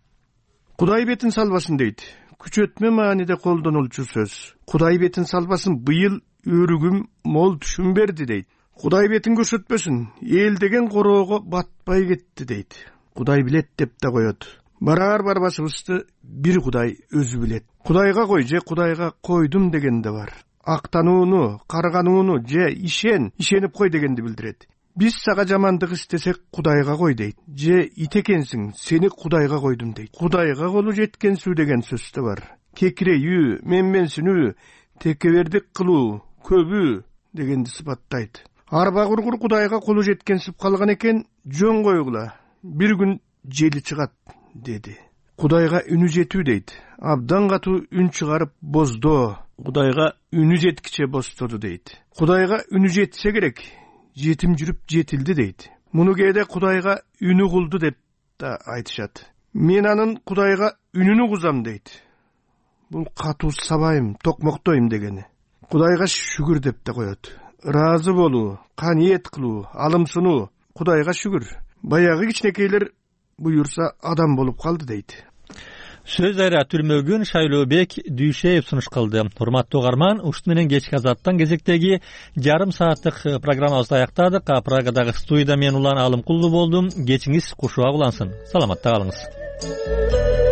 Кудай бетин салбасын дейт. Күчөтмө мааниде колдонулчу сөз. Кудай бетин салбасын, быйыл өрүгүм мол түшүм берди дейт. Кудай бетин көрсөтпөсүн, эл деген короого батпай кетти дейт. Кудай билет деп да коет. Барар барбашыбызды бир Кудай өзү билет. Кудайга кой же Кудайга койдум деген да бар. Актанууну, карганууну же ишен, ишенип кой дегенди билдирет. Биз сага жамандык истесек Кудайга кой дейт. Же ит экенсиң, сени Кудайга койдум дейт. Кудайга колу жеткенсүү деген сөз да бар. Кекирейүү, менменсинүү, текебердик кылуу, көбүү дегенди сыпаттайт. Арба кургур Кудайга колу жеткенсип калган экен, жөн койгула. Бир күн жели чыгат деди. Кудайга үнү жетүү дейт. Абдан катуу үн чыгарып боздоо. Кудайга үнү жеткиче бостоду дейт. Кудайга үнү жетсе керек, жетим жүрүп жетилди дейт. Муну кээде Кудайга үнү кулду деп да айтышат. Мен анын Кудайга үнүнү кузам дейт. Бул катуу сабайым, токмоктойм дегени. Кудайга шүгүр деп да коет. Ыраазы болуу, каниет кылуу, алымсынуу. Кудайга шүгүр. Баягы кичинекейлер буюрса адам болуп калды дейт. Сөз айра түрмөгүн Шайлообек Дүйшеев сунуш кылды. Урматтуу угарман, ушут менен кечки азаттан кезектеги жарым сааттык программабызды аяктадык. Прагадагы студияда мен Улан Алымкулду болдум. Кечиңиз кушуак улансын. Саламатта калыңыз.